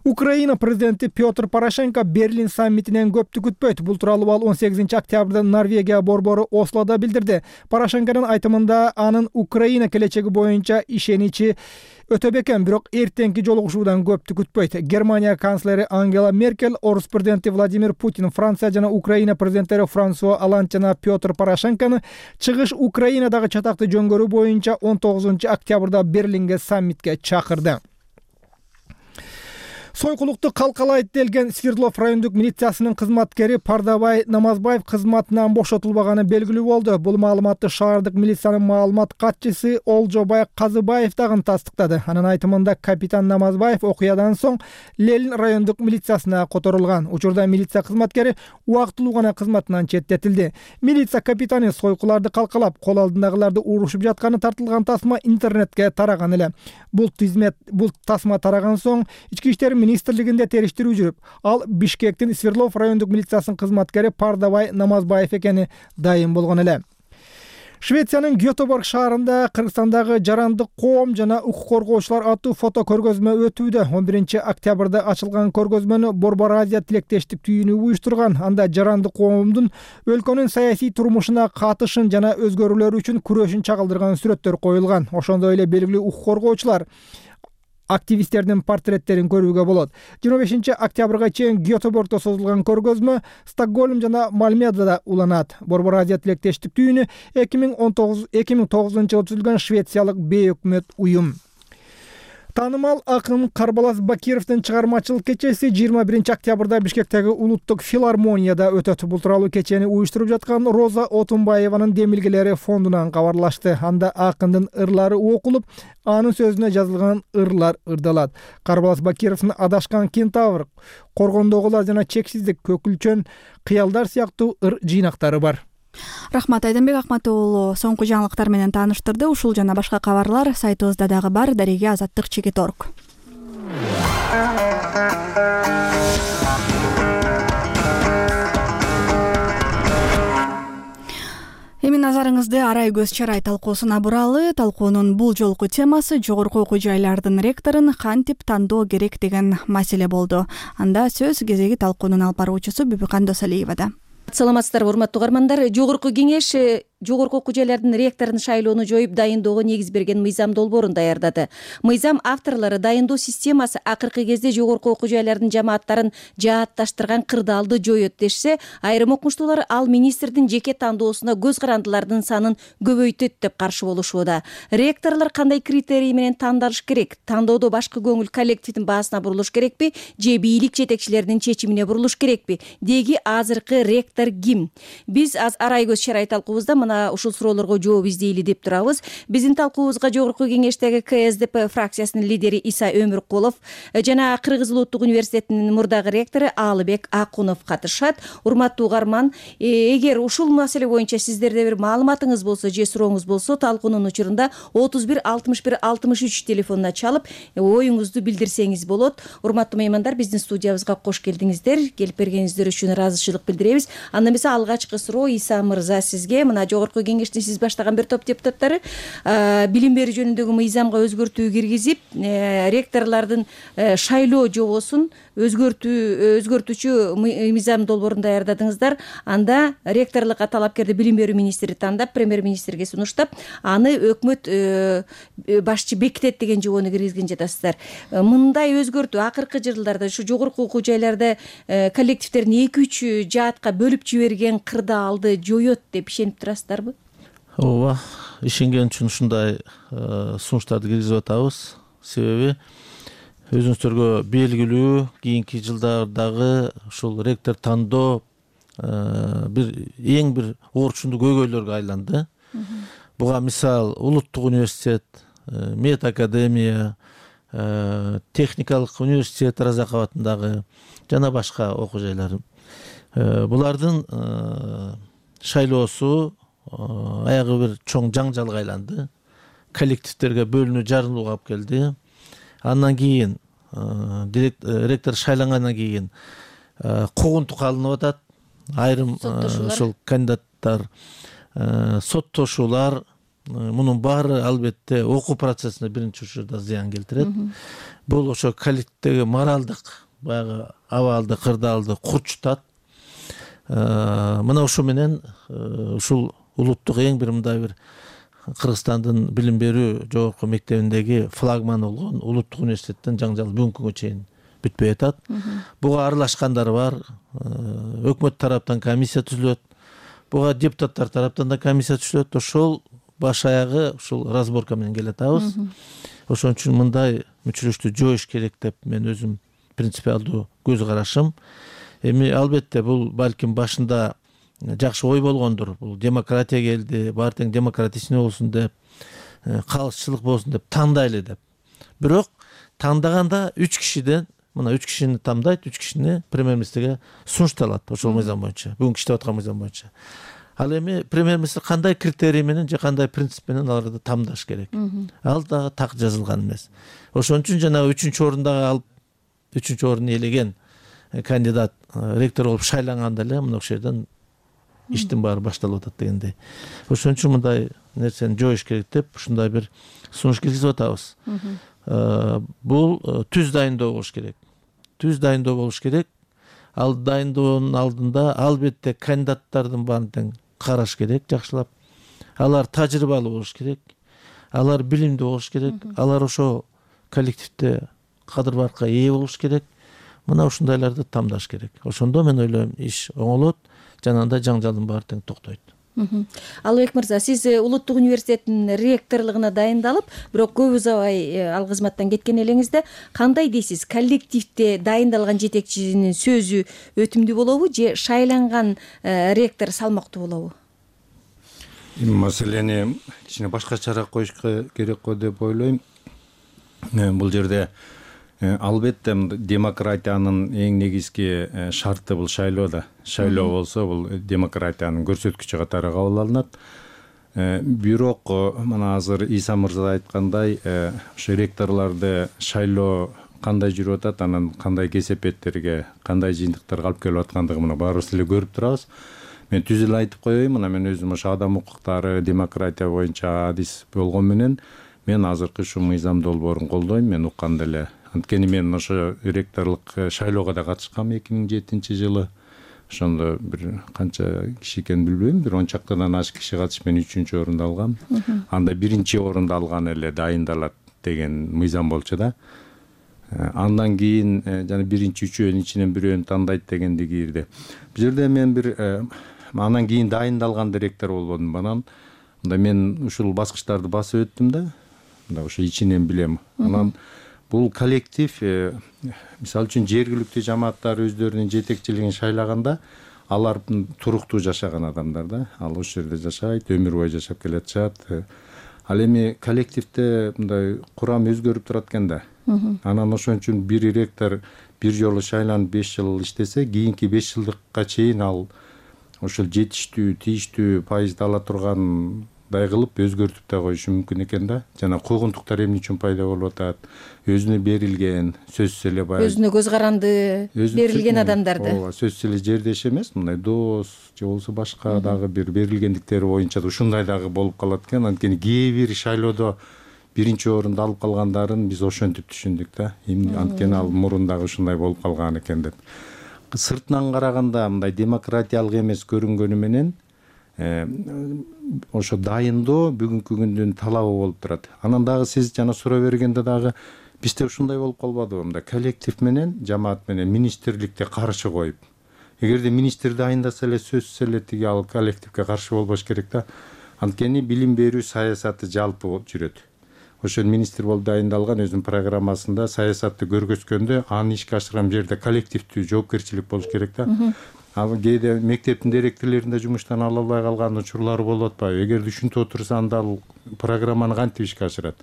Украина президенти Петр Порошенко Берлин саммитинен көптү күтпөйт. Бул тууралуу ал 18-октябрда Норвегия борбору Ослода билдирди. Порошенконун айтымында анын Украина келечеги боюнча ишеничи өтө бекем, бирок эртеңки жолугушуудан көптү күтпөйт. Германия канцлери Ангела Меркель, Орус президенти Владимир Путин, Франция жана Украина президенттери Франсуа Олланд жана Петр Порошенкону чыгыш Украинадагы чатакты жөнгөрүү боюнча 19-октябрда Берлинге саммитке чакырды. Сойкулукту калкалайт делген Свердлов райондук милициясынын кызматкери Пардабай Намазбаев кызматынан бошотулбаганы белгилүү болду. Бул маалыматты шаардык милициянын маалымат катчысы Олжобай Казыбаев дагы тастыктады. Анын айтымында капитан Намазбаев окуядан соң Ленин райондук милициясына которулган. Учурда милиция кызматкери убактылуу гана кызматынан четтетилди. Милиция капитаны сойкуларды калкалап, кол алдындагыларды урушуп жатканы тартылган тасма интернетке тараган эле. Бул тасма тараган соң ички иштер министрлигинде териштирүү жүрүп, ал Бишкектин Свердлов райондук милициясынын кызматкери Пардабай Намазбаев экени дайым болгон эле. Швециянын Гётеборг шаарында Кыргызстандагы жарандык коом жана укук коргоочулар аттуу фото көргөзмө өтүүдө. 11-октябрда ачылган көргөзмөнү Борбор Азия тилектештик түйүнү уюштурган. Анда жарандык коомдун өлкөнүн саясий турмушуна катышын жана өзгөрүүлөр үчүн күрөшүн чагылдырган сүрөттөр коюлган. Ошондой эле белгилүү укук коргоочулар активисттердин портреттерин көрүүгө болот. 25-октябрга чейин Гётеборгдо созулган көргөзмө Стокгольм жана Мальмедада уланат. Борбор Азия тилектештик түйүнү 2009-жылы түзүлгөн Швециялык бейөкмөт уюм. Таанымал акын Карбалас Бакировдун чыгармачылык кечеси 21-октябрда Бишкектеги улуттук филармонияда өтөт. Бул тууралуу кечени уюштуруп жаткан Роза Отунбаеванын демилгелери фондунан кабарлашты. Анда акындын ырлары окулуп, анын сөзүнө жазылган ырлар ырдалат. Карбалас Бакировдун Адашкан кентавр, Коргондогулар жана Чексиздик, Көкүлчөн, Кыялдар сыяктуу ыр жыйнактары бар. Рахмат, Айданбек Акматуулу соңку жаңылыктар менен тааныштырды. Ушул жана башка кабарлар сайтыбызда дагы бар. Дареге Азаттык.org. Эми назарыңызды арай көз чарай талкуусуна буралы. Талкуунун бул жолку темасы жогорку окуу жайлардын ректорун кантип тандоо керек деген маселе болду. Анда сөз кезеги талкуунун алып баруучусу Бүбүкан Досалиевада. Саламатсыздарбы, урматтуу угармандар. Жогорку кеңеш жогорку окуу жайлардын ректорун шайлоону жоюп дайындоого негиз берген мыйзам долбоорун даярдады. Мыйзам авторлору дайындоо системасы акыркы кезде жогорку окуу жайлардын жамааттарын жаатташтырган кырдаалды жоет дешсе, айрым окумуштуулар ал министрдин жеке тандоосуна көз карандылардын санын көбөйтөт деп каршы болушууда. Ректорлор кандай критерий менен тандалыш керек? Тандоодо башкы көңүл коллективдин баасына бурулуш керекпи же бийлик жетекчилеринин чечимине бурулуш керекпи? Деги азыркы ректор ким? Биз арай көз чарай талкуубузда ушул суроолорго жооп издейли деп турабыз. Биздин талкуубузга жогорку кеңештеги КСДП фракциясынын лидери Иса Өмүркулов жана Кыргыз Улуттук университетинин мурдагы ректору Алыбек Акунов катышат. Урматтуу угарман, эгер ушул маселе боюнча сиздерде бир маалыматыңыз болсо же сурооңуз болсо, талкуунун учурунда 31 61 63 телефонуна чалып оюңузду билдирсеңиз болот. Урматтуу меймандар, биздин студиябызга кош келдиңиздер. Келип бергениңиздер үчүн ыраазычылык билдиребиз. Анда эмесе алгачкы суроо Иса мырза сизге. Мына жогорку кеңештин сиз баштаган бир топ депутаттары билим берүү жөнүндөгү мыйзамга өзгөртүү киргизип, ректорлордун шайлоо жобосун өзгөртүүчү мыйзам долбоорун даярдадыңыздар. Анда ректорлукка талапкерди билим берүү министри тандап, премьер-министрге сунуштап, аны өкмөт башчы бекитет деген жобону киргизген жатасыздар. Мындай өзгөртүү акыркы жылдарда ушу жогорку окуу жайларда коллективдерин 2-3 жаатка бөлүп жиберген кырдаалды жоет деп ишенип турасыздарбы? Ооба, ишенген үчүн ушундай сунуштарды киргизип атабыз. Себеби өзүңүздөргө белгилүү, кийинки жылдардагы ушул ректор тандоо эң бир орчундуу көйгөйлөргө айланды. Буга мисал Улуттук университет, Мед академия, техникалык университет Разаков атындагы жана башка окуу жайлар. Булардын шайлоосу аягы бир чоң жаңжалга айланды. Коллективдерге бөлүнүү, жарылууга алып келди. Андан кийин ректор шайлангандан кийин куугунтук алынып атат. Айрым ушул кандидаттар, соттошуулар, мунун баары албетте окуу процессине биринчи учурда зыян келтирет. Бул ошо коллективдеги моралдык баягы абалды, кырдаалды курчутат. Мына ушу менен ушул улуттук эң бир мындай бир Кыргызстандын билим берүү жогорку мектебиндеги флагман болгон Улуттук университеттен жаңжал бүгүнкү күнгө чейин бүтпөй атат. Буга аралашкандар бар. Өкмөт тараптан комиссия түзүлөт. Буга депутаттар тараптан да комиссия түзүлөт. Ошол баш аягы ушул разборка менен келатабыз. Ошон үчүн мындай мүчүлүштү жоюш керек деп мен өзүм принципиалдуу көз карашым. Эми албетте бул балким башында жакшы ой болгондур. Бул демократия келди, баары тең демократичный болсун деп, калысчылык болсун деп тандайлы деп. Бирок тандаганда 3 кишиден, мына 3 кишини тандайт, 3 кишини премьер-министрге сунушталат ошол мыйзам боюнча, бүгүнкү иштеп аткан мыйзам боюнча. Ал эми премьер-министр кандай критерий менен же кандай принцип менен аларды тамдаш керек. Ал дагы так жазылган эмес. Ошон үчүн жанагы 3-орундагы алып 3-орунду ээлеген кандидат ректор болуп шайланганда эле мына ошол жерден иштин баары башталып атат дегендей. Ошон үчүн мындай нерсени жоюш керек деп ушундай бир сунуш киргизип атабыз. Бул түз дайындоо болуш керек. Түз дайындоо болуш керек. Ал дайындоонун алдында албетте кандидаттардын баарын тең караш керек жакшылап. Алар тажрыйбалуу болуш керек. Алар билимдүү болуш керек. Алар ошо коллективде кадыр-баркка ээ болуш керек. Мына ушундайларды тамдаш керек. Ошондо мен ойлойм иш оңолот, жана анда жаңжалдын баары тең токтойт. Алыбек мырза, сиз Улуттук университеттин ректорлугуна дайындалып, бирок көп узабай ал кызматтан кеткен элеңизде кандай дейсиз? Коллективде дайындалган жетекчинин сөзү өтүмдүү болобу же шайланган ректор салмактуу болобу? Маселени кичине башкачараак коюшка керек го деп ойлойм. Бул жерде албетте демократиянын эң негизги шарты бул шайлоо да. Шайлоо болсо бул демократиянын көрсөткүчү катары кабыл алынат. Бирок мына азыр Иса мырза айткандай, ошо ректорлорду шайлоо кандай жүрүп атат, анан кандай кесепеттерге, кандай жыйынтыктарга алып келип аткандыгын мына баарыбыз эле көрүп турабыз. мен түз эле айтып коеюн, мына мен өзүм ошо адам укуктары, демократия боюнча адис болгон менен мен азыркы ушул мыйзам долбоорун колдойм. Мен укканда эле, анткени мен ошо ректорлук шайлоого да катышкам 2007-жылы. Ошондо бир канча киши экенин билбейм, бир 10 чактадан ашык киши катышып мен 3-чү орунду алгам. Анда 1-чи орунду алган эле дайындалат деген мыйзам болчу да. Андан кийин жана 1-чи 3-өөнүн ичинен бирөөнү тандайт дегенди кирди. Бул жерде мен бир андан кийин дайындалган ректор болбодум. Анан мында мен ушул баскычтарды басып өттүм да. Мында ошо ичинен билем. Анан бул коллектив, мисалы үчүн жергиликтүү жамааттар өздөрүнүн жетекчилигин шайлаганда, алар туруктуу жашаган адамдар да. Ал ошол жерде жашайт, өмүр бою жашап келатышат. Ал эми коллективде мындай курам өзгөрүп турат экен да. Анан ошон үчүн бир ректор бир жолу шайланып 5 жыл иштесе, кийинки 5 жылдыкка чейин ал ошол жетиштүү, тийиштүү пайызды ала тургандай кылып өзгөртүп да коюшу мүмкүн экен да. Жана куугунтуктар эмне үчүн пайда болуп атат? Өзүнө берилген, сөзсүз эле баягы өзүнө көз каранды берилген адамдарды. Ооба, сөзсүз эле жердеш эмес, мындай дос же болбосо башка дагы бир берилгендиктери боюнча да ушундай дагы болуп калат экен. Анткени кээ бир шайлоодо 1-чи орунду алып калгандарын биз ошентип түшүндүк да. Анткени ал мурун дагы ушундай болуп калган экен деп. Сыртынан караганда мындай демократиялык эмес көрүнгөнү менен ошо дайындоо бүгүнкү күндүн талабы болуп турат. Анан дагы сиз жана суроо бергенде дагы бизде ушундай болуп калбадыбы? Мындай коллектив менен, жамаат менен министрликте каршы коюп. Эгерде министр дайындаса эле сөзсүз эле тиги ал коллективге каршы болбош керек да. Анткени билим берүү саясаты жалпы жүрөт. Ошол министр болуп дайындалган өзүнүн программасында саясатты көргөзгөндө аны ишке ашырган жерде коллективдүү жоопкерчилик болуш керек да. Ал кээде мектептин директорлорунда жумуштан ала албай калган учурлары болуп атпайбы? Эгерде ушинтип отурса анда ал программаны кантип ишке ашырат?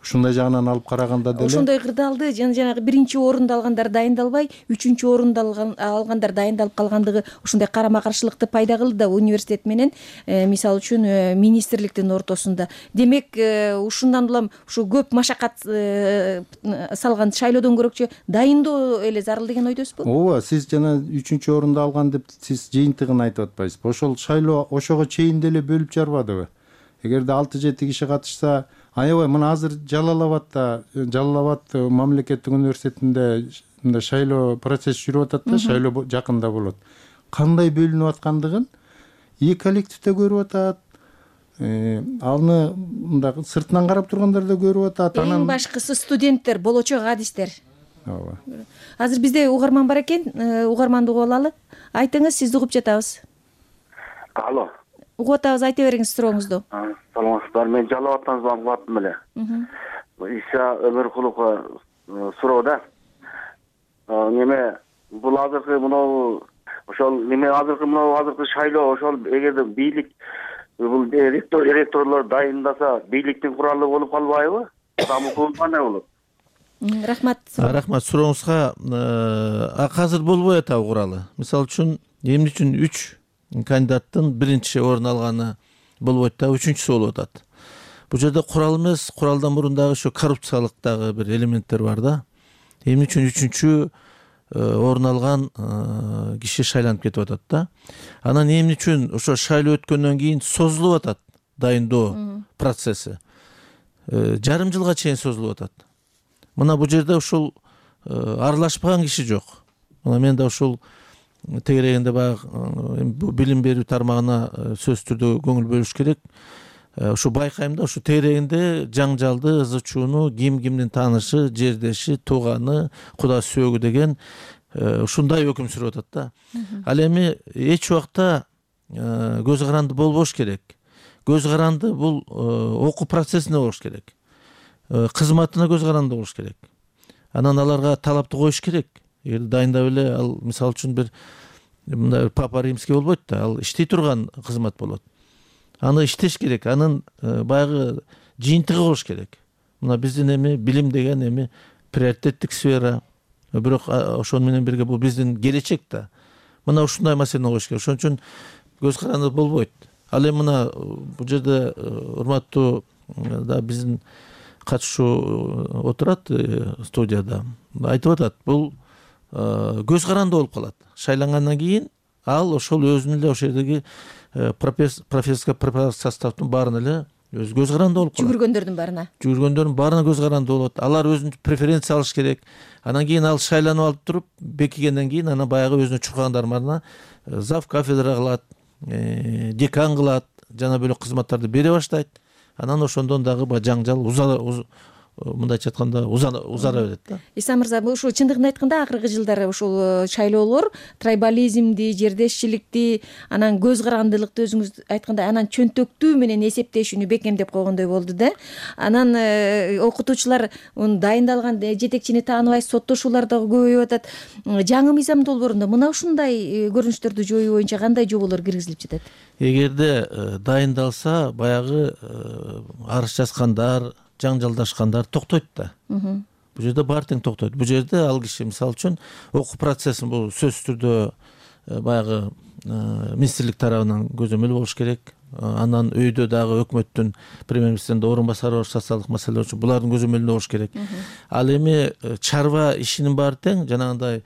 Ушундай жагынан алып караганда деле ошондой кырдаалды жанагы 1-чи орунду алгандар дайындалбай, 3-чү орунду алгандар дайындалып калгандыгы ушундай карама каршылыкты пайда кылды да университет менен мисалы үчүн министрликтин ортосунда. Демек ушундан улам ушу көп машакат салган шайлоодон көрөкчү дайындоо эле зарыл деген ойдосузбу? Ооба, сиз жана 3-чү орунду алган деп сиз жыйынтыгын айтып атпайсызбы? Ошол шайлоо ошого чейин деле бөлүп жарбадыбы? Эгерде 6-7 киши катышса, аябай мына азыр Жалал-Абад мамлекеттик университетинде мындай шайлоо процесси жүрүп атат да, шайлоо жакында болот. Кандай бөлүнүп аткандыгын коллективде көрүп атат. Аны мындай сыртынан карап тургандар да көрүп атат. Эң башкысы студенттер, болочок адистер. Ооба. Азыр бизде угарман бар экен, угарманды угуп алалы. Айтыңыз, сизди угуп жатабыз. Алло. Угуп атабыз, айта бериңиз сурооңузду. Саламатсыздар, мен Жалал Абадтан звонок аттым эле. Иса Өмөркуловго суроо да. Неме бул азыркы мынау ошол неме азыркы шайлоо ошол эгерде бийлик бул ректорлор дайындаса бийликтин куралы болуп калбайбы? Дамытуу кандай болот? Рахмат. Рахмат сурооңузга. Азыр болбой атабы куралы? Мисалы үчүн эмне үчүн 3 кандидаттын 1-чи орун алганы болбойт да, 3-чүсү болуп атат. Бул жерде курал эмес, куралдан мурун дагы ошо коррупциялык дагы бир элементтер бар да. Эмне үчүн 3-чү орун алган киши шайланып кетип атат да. Анан эмне үчүн ошо шайлоо өткөндөн кийин созулуп атат дайындоо процесси? Жарым жылга чейин созулуп атат. Мына бул жерде ушул аралашпаган киши жок. Мына мен да ушул тегерегинде баягы билим берүү тармагына сөзсүз түрдө көңүл бөлүш керек. Ушу байкайм да, ушу тегерегинде жаңжалды, ызы чууну, кимдин таанышы, жердеши, тууганы, куда сөөгү деген ушундай өкүм сүрүп атат да. Ал эми эч убакта көз каранды болбош керек. Көз каранды бул окуу процессине болуш керек. Кызматына көз каранды болуш керек. Анан аларга талапты коюш керек. Эгер дайындап эле ал мисалы үчүн бир мындай папа римский болбойт да, ал иштей турган кызмат болот. Аны иштеш керек, анын баягы жыйынтыгы болуш керек. Мына биздин эми билим деген эми приоритеттик сфера, бирок ошону менен бирге бул биздин келечек да. Мына ушундай маселени коюш керек. Ошон үчүн көз каранды болбойт. Ал эми мына бул жерде урматтуу да биздин катышуу отурат студияда. Айтып атат, бул көз каранды болуп калат. Шайлангандан кийин ал ошол өзүнүн эле ошол жердеги профессорский составдын баарына эле өзү көз каранды болуп калат. Жүгүргөндөрдүн баарына көз каранды болот. Алар өзүнчө преференция алыш керек. Анан кийин ал шайланып алып туруп, бекигенден кийин анан баягы өзүнүн чуркагандарынын баарына зав кафедра кылат, декан кылат, жана бөлөк кызматтарды бере баштайт. Анан ошондон дагы жаңжал мындайча айтканда узара берет да. Иса мырза, ушул чындыгын айтканда акыркы жылдары ушул шайлоолор трайбализмди, жердешчиликти, анан көз карандылыкты өзүңүз айткандай анан чөнтөктүү менен эсептешүүнү бекемдеп койгондой болду да. Анан окутуучулар дайындалган жетекчини тааныбай соттошуулар дагы көбөйүп атат. Жаңы мыйзам долбоорунда мына ушундай көрүнүштөрдү жоюу боюнча кандай жоболор киргизилип жатат? Эгерде дайындалса, баягы арыз жазгандар, жаңжалдашкандар токтойт да. Бул жерде баары тең токтойт. Бул жерде ал киши мисалы үчүн окуу процессин бул сөзсүз түрдө баягы министрлик тарабынан көзөмөл болуш керек. Анан өйдө дагы өкмөттүн премьер-министринин орун басары бар социалдык маселелер үчүн булардын көзөмөлүндө болуш керек. Ал эми чарба ишинин баары тең жанагындай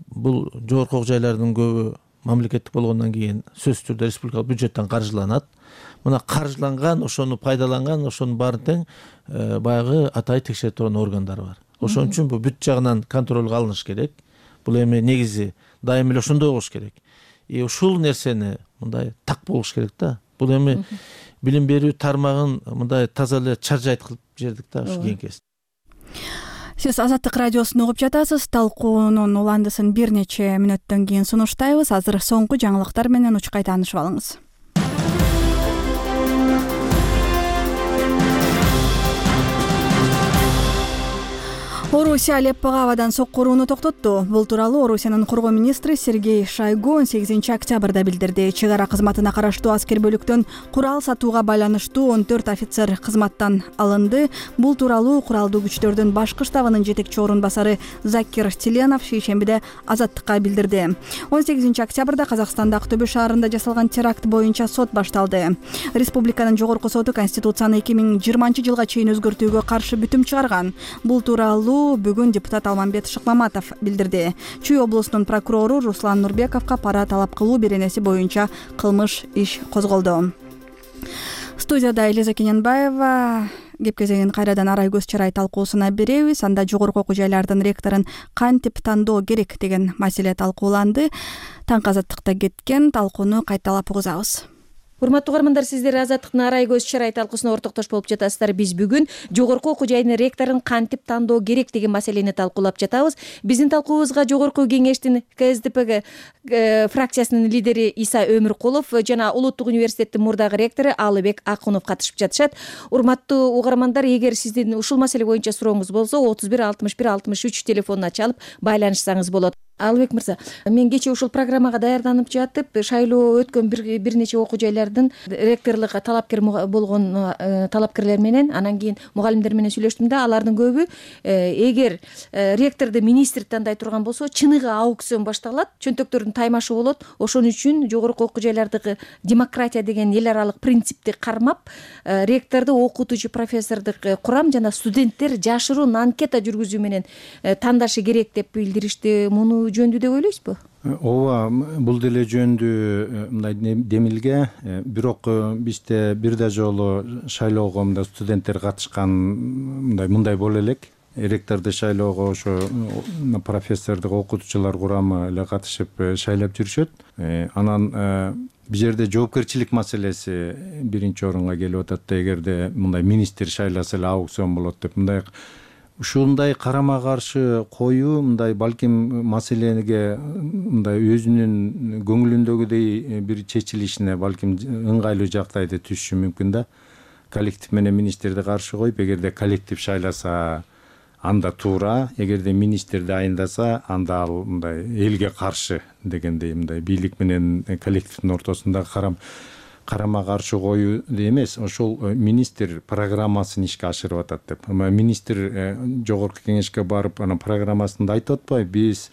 бул жогорку окуу жайлардын көбү мамлекеттик болгондон кийин сөзсүз түрдө республикалык бюджеттен каржыланат. Мына каржыланган, ошону пайдаланган, ошонун баарын тең баягы атай текшерип турган органдар бар. Ошон үчүн бул бүт жагынан контролго алыныш керек. Бул эми негизи дайым эле ошондой болуш керек. Ушул нерсени мындай так болуш керек да. Бул эми билим берүү тармагын мындай таза эле чаржайт кылып жибердик да ушу кийинки. Сиз Азаттык радиосун угуп жатасыз. Талкуунун уландысын бир нече мүнөттөн кийин сунуштайбыз. Азыр соңку жаңылыктар менен учкай таанышып алыңыз. Орусия Алеппого абадан сокку урууну токтотту. Бул тууралуу Орусиянын коргоо министри Сергей Шойгу 18-октябрда билдирди. Чек ара кызматына караштуу аскер бөлүктөн курал сатууга байланыштуу 14 офицер кызматтан алынды. Бул тууралуу куралдуу күчтөрдүн башкы штабынын жетекчи орун басары Закир Тиленов шейшембиде Азаттыкка билдирди. 18-октябрда Казакстанда Актөбө шаарында жасалган теракт боюнча сот башталды. Республиканын жогорку соту Конституцияны 2020-жылга чейин өзгөртүүгө каршы бүтүм чыгарган. Бул тууралуу бүгүн депутат Алмамбет Шыкмаматов билдирди. Чүй облусунун прокурору Руслан Нурбековго пара талап кылуу беренеси боюнча кылмыш иш козголду. Студияда Элиза Кененбаева. Кеп кезегин кайрадан арай көз чарай талкуусуна беребиз. Анда жогорку окуу жайлардын ректорун кантип тандоо керек деген маселе талкууланды. Таңкы Азаттыкта кеткен талкууну кайталап угузабыз. Урматтуу угармандар, сиздер Азаттыктын арай көз чарай талкуусуна ортоктош болуп жатасыздар. Биз бүгүн жогорку окуу жайдын ректорун кантип тандоо керек деген маселени талкуулап жатабыз. Биздин талкуубузга жогорку кеңештин КСДП фракциясынын лидери Иса Өмүркулов жана Улуттук университеттин мурдагы ректору Алыбек Акунов катышып жатышат. Урматтуу угармандар, эгер сиздин ушул маселе боюнча сурооңуз болсо 31 61 63 телефонуна чалып байланышсаңыз болот. Алыбек мырза, мен кечээ ушул программага даярданып жатып, шайлоо өткөн бир нече окуу жайлардын ректорлукка талапкер болгон талапкерлер менен, анан кийин мугалимдер менен сүйлөштүм да, алардын көбү эгер ректорду министр тандай турган болсо, чыныгы аукцион башталат, чөнтөктөрдүн таймашы болот. Ошон үчүн жогорку окуу жайлардагы демократия деген эл аралык принципти кармап, ректорду окутуучу профессордук курам жана студенттер жашыруун анкета жүргүзүү менен тандашы керек деп билдиришти. Муну жөндүү деп ойлойсузбу? Ооба, бул деле жөндүү мындай демилге. Бирок бизде бир да жолу шайлоого мындай студенттер катышкан мындай боло элек. Ректорду шайлоого ошо профессордук окутуучулар курамы эле катышып шайлап жүрүшөт. Анан бул жерде жоопкерчилик маселеси биринчи орунга келип атат да. Эгерде мындай министр шайласа эле аукцион болот деп ушундай карама каршы коюу мындай балким маселеге мындай өзүнүн көңүлүндөгүдөй бир чечилишине балким ыңгайлуу жактайды түшүшү мүмкүн да. Коллектив менен министрди каршы коюп, эгерде коллектив шайласа анда туура, эгерде министр дайындаса анда ал мындай элге каршы дегендей мындай бийлик менен коллективдин ортосунда карама каршы коюу эмес, ошол министр программасын ишке ашырып атат деп. Министр жогорку кеңешке барып, анан программасында айтып атпайбы, биз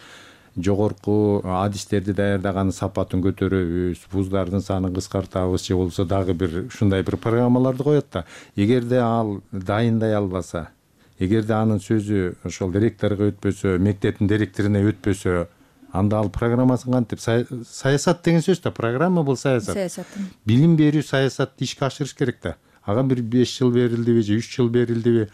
жогорку адистерди даярдаганын сапатын көтөрөбүз, вуздардын санын кыскартабыз, же болбосо дагы бир ушундай бир программаларды коет да. Эгерде ал дайындай албаса, эгерде анын сөзү ошол ректорго өтпөсө, мектептин директоруна өтпөсө, анда ал программасын кантип саясат деген сөз да, программа бул саясат. Билим берүү саясатты ишке ашырыш керек да. Ага бир 5 жыл берилдиби же 3 жыл берилдиби?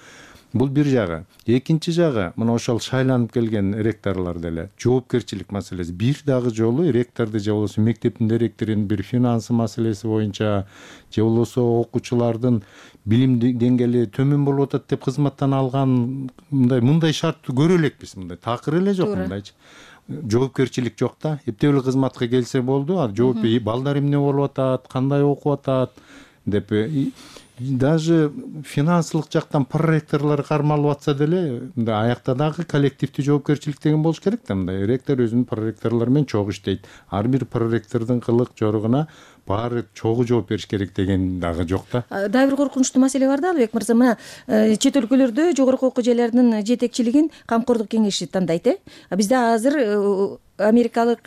Бул бир жагы. Экинчи жагы, мына ошол шайланып келген ректорлор деле жоопкерчилик маселеси. Бир дагы жолу ректорду же болбосо мектептин директорунун бир финансы маселеси боюнча же болбосо окуучулардын билим деңгээли төмөн болуп атат деп кызматтан алган мындай шартты көрө элекпиз. Мындай такыр эле жок мындайчы. Жоопкерчилик жок да. Эптеп эле кызматка келсе болду. Жооп балдар эмне болуп атат, кандай окуп атат деп даже финансылык жактан проректорлор кармалып атса деле, мындай аякта дагы коллективдүү жоопкерчилик деген болуш керек да. Мындай ректор өзүнүн проректорлору менен чогуу иштейт. Ар бир проректордун кылык жоругуна баары чогуу жооп бериш керек деген дагы жок да. Дагы бир коркунучтуу маселе бар да, Албек мырза. Мына чет өлкөлөрдө жогорку окуу жайлардын жетекчилигин Камкордук кеңеши тандайт. Бизде азыр америкалык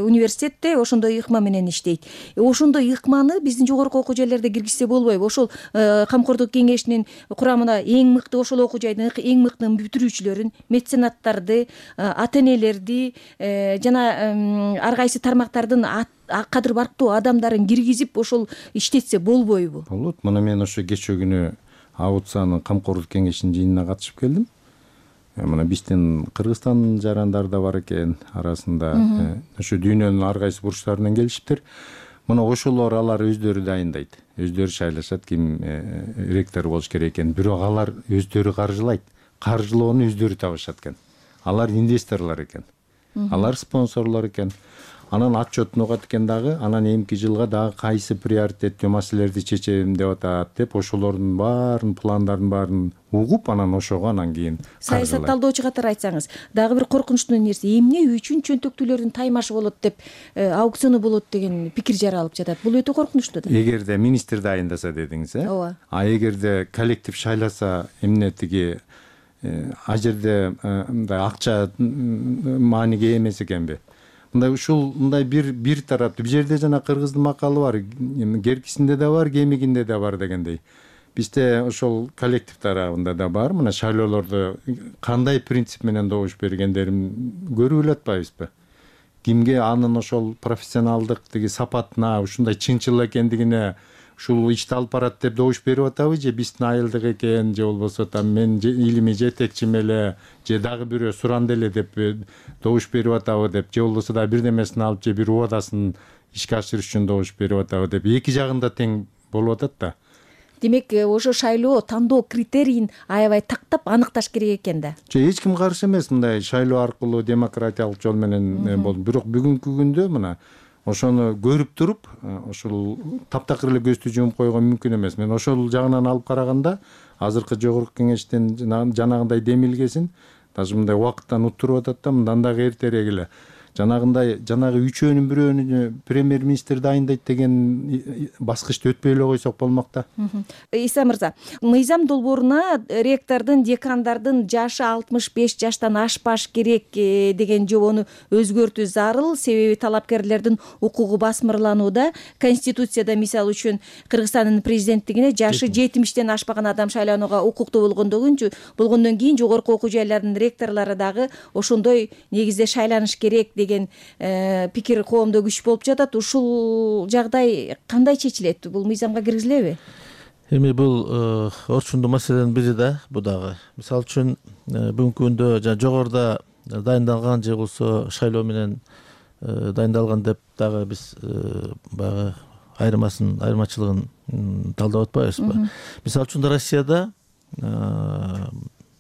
университетте ошондой ыкма менен иштейт. Ошондой ыкманы биздин жогорку окуу жайларда киргизсе болбойбу? Ошол Камкордук кеңешинин курамына эң мыкты ошол окуу жайдын эң мыкты бүтүрүүчүлөрүн, меценаттарды, ата-энелерди жана ар кайсы тармактардын кадыр барктуу адамдарын киргизип ошол иштетсе болбойбу? Болот. Мына мен ошо кечээ күнү АУЦАнын Камкордук кеңешинин жыйынына катышып келдим. Мына биздин Кыргызстан жарандар да бар экен арасында. Ошо дүйнөнүн ар кайсы бурчтарынан келишиптир. Мына ошолор алар өздөрү дайындайт. Өздөрү шайлашат ким ректор болуш керек экен. Бирок алар өздөрү каржылайт. Каржылоону өздөрү табышат экен. Алар инвесторлор экен. Алар спонсорлор экен. Анан отчетун угат экен дагы, анан эмки жылга дагы кайсы приоритеттүү маселелерди чечем деп атат деп ошолордун баарын пландарын баарын угуп, анан ошого анан кийин саясат талдоочу катары айтсаңыз, дагы бир коркунучтуу нерсе, эмне үчүн чөнтөктүүлөрдүн таймашы болот деп, аукциону болот деген пикир жаралып жатат. Бул өтө коркунучтуу да. Эгерде министр дайындаса дедиңиз, ооба. Эгерде коллектив шайласа, эмне тиги а жерде мындай акча мааниге эмес экенби? Мындай ушул мындай бир тараптуу. Бул жерде жана кыргыздын макалы бар, керкисинде да бар, кемигинде да бар дегендей. Бизде ошол коллектив тарабында да бар. Мына шайлоолорду кандай принцип менен добуш бергендерин көрүп эле атпайбызбы? Кимге анын ошол профессионалдык тиги сапатына, ушундай чынчыл экендигине ушул ишти алып барат деп добуш берип атабы, же биздин айылдык экен, же болбосо мен илимий жетекчим эле, же дагы бирөө суранды эле деп добуш берип атабы деп, же болбосо да бирдемесин алып, же бир убадасын ишке ашырыш үчүн добуш берип атабы деп, эки жагында тең болуп атат да. Демек, ошо шайлоо тандоо критерийин аябай тактап аныкташ керек экен да. Эч ким каршы эмес мындай шайлоо аркылуу демократиялык жол менен болду. Бирок бүгүнкү күндө мына ошону көрүп туруп, ошол таптакыр эле көздү жумуп койгон мүмкүн эмес. Мен ошол жагынан алып караганда, азыркы жогорку кеңештин жанагындай демилгесин даже мындай убакыттан уттуруп атат да, мындан дагы эртерээк эле. Жанагы үчөөнүн бирөөнү премьер-министр дайындайт деген баскычты өтпөй эле койсок болмок да. Иса мырза, мыйзам долбооруна ректордун, декандардын жашы 65 жаштан ашпаш керек деген жобону өзгөртүү зарыл, себеби талапкерлердин укугу басмырланууда. Конституцияда мисалы үчүн Кыргызстандын президенттигине жашы 70-тен ашпаган адам шайланууга укуктуу болгондон кийин жогорку окуу жайлардын ректорлору дагы ошондой негизде шайланыш керек деген пикир коомдо күч болуп жатат. Ушул жагдай кандай чечилет? Бул мыйзамга киргизилеби? Эми бул орчундуу маселенин бири да, бул дагы. Мисалы үчүн бүгүнкү күндө жогоруда дайындалган же болбосо шайлоо менен дайындалган деп дагы биз баягы айырмачылыгын талдап атпайбызбы? Мисалы үчүн Россияда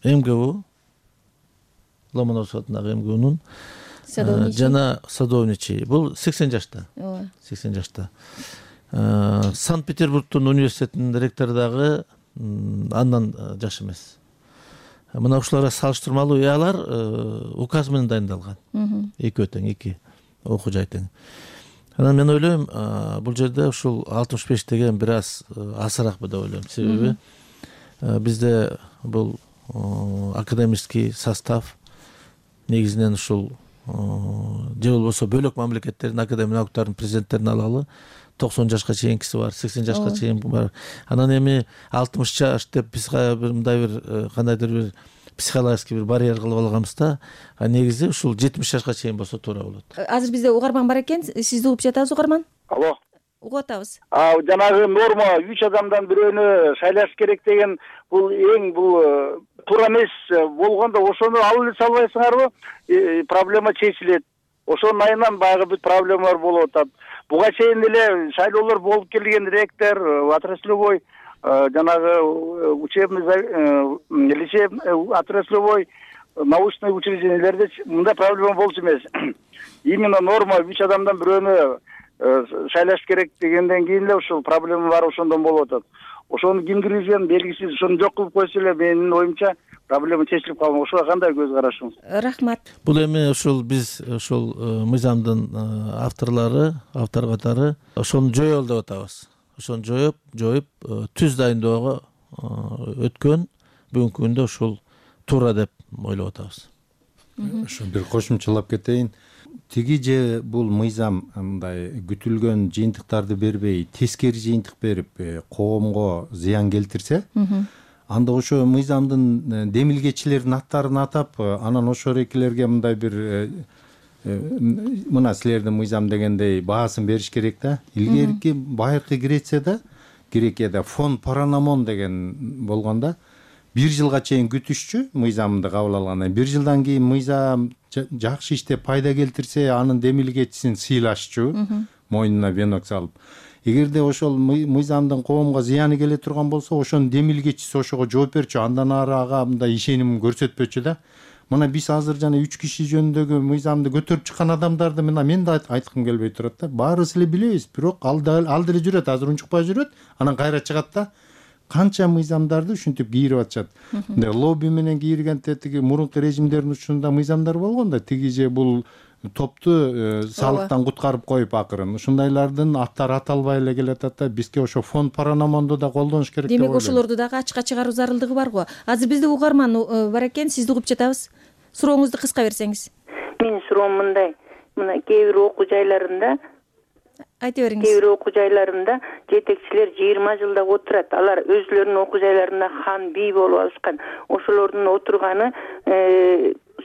МГУ, Ломоносов атындагы МГУнун жана садовничий, бул 80 жашта. 80 жашта. Санкт-Петербургдун университетинин ректору дагы андан жаш эмес. Мына ушуларга салыштырмалуу алар указ менен дайындалган. Экөө тең, эки окуу жай тең. Анан мен ойлойм, бул жерде ушул 65 деген бир аз азыраакпы деп ойлойм. Себеби бизде бул академический состав негизинен ушул же болбосо бөлөк мамлекеттердин академия науктарынын президенттерин алалы 90 жашка чейинкиси бар, 80 жашка чейин бар. Анан эми 60 жаш деп биз мындай бир кандайдыр бир психологический бир барьер кылып алганбыз да. Негизи ушул 70 жашка чейин болсо туура болот. Азыр бизде угарман бар экен. Сизди угуп жатабыз, угарман. Алло. Угуп атабыз. Жанагы норма 3 адамдан бирөөнү шайлаш керек деген бул туура эмес болгондо ошону алып эле салбайсыңарбы? Проблема чечилет. Ошонун айынан баягы бүт проблемалар болуп атат. Буга чейин эле шайлоолор болуп келген ректор, отраслевой жанагы учебный отраслевой научный учреждениелерде мындай проблема болчу эмес. Именно норма 3 адамдан бирөөнү шайлаш керек дегенден кийин эле ушул проблема бар, ошондон болуп атат. Ошону ким киргизген белгисиз, ошону жок кылып койсо эле менин оюмча проблема чечилип калган. Ошого кандай көз карашыңыз? Рахмат. Бул эми ушул биз ушул мыйзамдын автор катары ошону жоёбуз деп атабыз. Ошону жоюп түз дайындоого өткөн бүгүнкү күндө ушул туура деп ойлоп атабыз. Ошо бир кошумчалап кетейин. Тиги же бул мыйзам мындай күтүлгөн жыйынтыктарды бербей, тескери жыйынтык берип, коомго зыян келтирсе, анда ошо мыйзамдын демилгечилердин аттарын атап, анан ошо рекелерге мындай бир мына силердин мыйзам дегендей баасын бериш керек да. Илгерки байыркы Грекияда фон Паранамон деген болгондо 1 жылга чейин күтүшчү мыйзамды кабыл алгандан. 1 жылдан кийин мыйзам жакшы иштеп пайда келтирсе, анын демилгечисин сыйлашчу, мойнуна венок салып. Эгерде ошол мыйзамдын коомго зыяны келе турган болсо, ошонун демилгечиси ошого жооп берчү, андан ары ага мындай ишеним көрсөтпөчү да. Мына биз азыр жана 3 киши жөнүндөгү мыйзамды көтөрүп чыккан адамдарды мен да айткым келбей турат да. Баарыбыз эле билебиз, бирок ал деле жүрөт, азыр унчукпай жүрөт, анан кайра чыгат да. Канча мыйзамдарды ушинтип кийирип атышат. Лобби менен кийиргенде тиги мурунку режимдердин учурунда мыйзамдар болгон да. Тиги же бул топту салыктан куткарып коюп акырын. Ушундайлардын аттары аталбай эле келатат да. Бизге ошо фон Паранамонду да колдонуш керек деп ойлойм. Демек ошолорду дагы ачыкка чыгаруу зарылдыгы бар го. Азыр бизде угарман бар экен, сизди угуп жатабыз. Сурооңузду кыска берсеңиз. Менин суроом мындай. Мына кээ бир окуу жайларында айта бериңиз. Кээ бир окуу жайларында жетекчилер 20 жылда отурат. Алар өзлөрүнүн окуу жайларында хан бий болуп алышкан. Ошолордун отурганы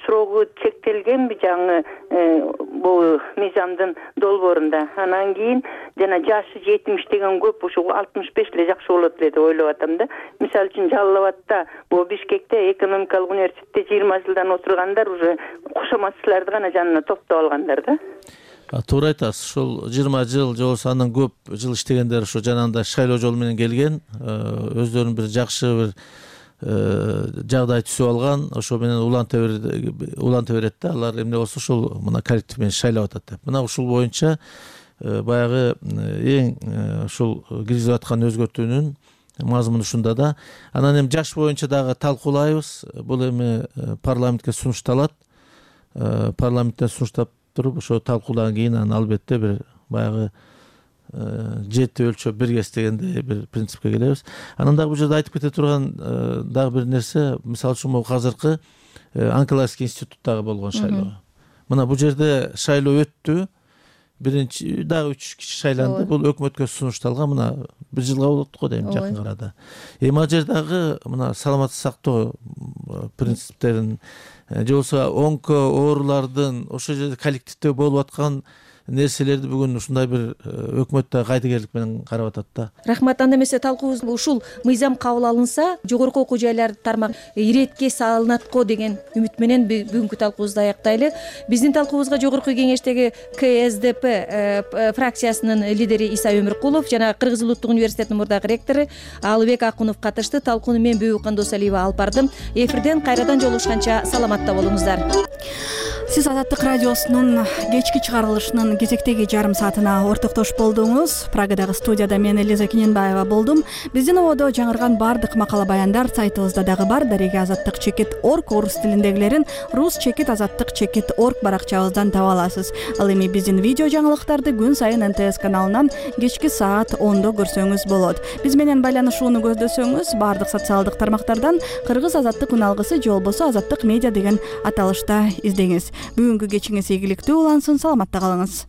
срогу чектелгенби жаңы бул мыйзамдын долбоорунда. Анан кийин жана жашы 70 деген көп, ошо 65 эле жакшы болот эле деп ойлоп атам да. Мисалы үчүн Жалал Абадта, бул Бишкекте экономикалык университетте 20 жылдан отургандар уже кошоматчыларды гана жанына топтоп алгандар да. Туура айтасыз. Ушул 20 жыл же болсо андан көп жыл иштегендер ошо жанагындай шайлоо жолу менен келген, өздөрүнүн бир жакшы бир жагдай түзүп алган, ошо менен уланта берет да. Алар эмне болсо ушул мына коллектив менен шайлап атат деп. Мына ушул боюнча баягы эң ушул киргизип аткан өзгөртүүнүн мазмуну ушунда да. Анан эми жаш боюнча дагы талкуулайбыз. Бул эми парламентке сунушталат. Парламенттен сунуштап туруп ошо талкуудан кийин анан албетте бир баягы жети өлчөп биргес дегендей бир принципке келебиз. Анан дагы бул жерде айтып кете турган дагы бир нерсе, мисалы үчүн могу азыркы онкологический институттагы болгон шайлоо. Мына бул жерде шайлоо өттү. Биринчи дагы 3 киши шайланды. Бул өкмөткө сунушталган. Мына 1 жылга болот го дейм жакын арада. Эми ал жердагы мына саламаттык сактоо принциптерин же болбосо онко оорулардын ошол жерде коллективде болуп аткан нерселерди бүгүн ушундай бир өкмөт да кайдыгерлик менен карап атат да. Рахмат. Анда эмесе талкуубуз ушул мыйзам кабыл алынса, жогорку окуу жайлар тармак иретке салынат го деген үмүт менен бүгүнкү талкуубузду аяктайлы. Биздин талкуубузга жогорку кеңештеги КСДП фракциясынын лидери Иса Өмүркулов жана Кыргыз Улуттук университетинин мурдагы ректору Алыбек Акунов катышты. Талкууну мен Бүйүкан Досалиева алып бардым. Эфирден кайрадан жолугушканча саламатта болуңуздар. Сиз Азаттык радиосунун кечки чыгарылышынын кезектеги жарым саатына ортоктош болдуңуз. Прагадагы студияда мен Элиза Киненбаева болдум. Биздин ободо жаңырган бардык макала баяндар сайтыбызда дагы бар. Дареге азаттык чекит.орг орус тилиндегилерин рус чекит.орг баракчабыздан таба аласыз. Ал эми биздин видео жаңылыктарды күн сайын НТС каналынан кечки саат 10до көрсөңүз болот. Биз менен байланышууну көздөсөңүз бардык социалдык тармактардан Кыргыз азаттык үналгысы же болбосо Азаттык медиа деген аталышта издеңиз. Бүгүнкү кечиңиз ийгиликтүү улансын, саламатта калыңыз.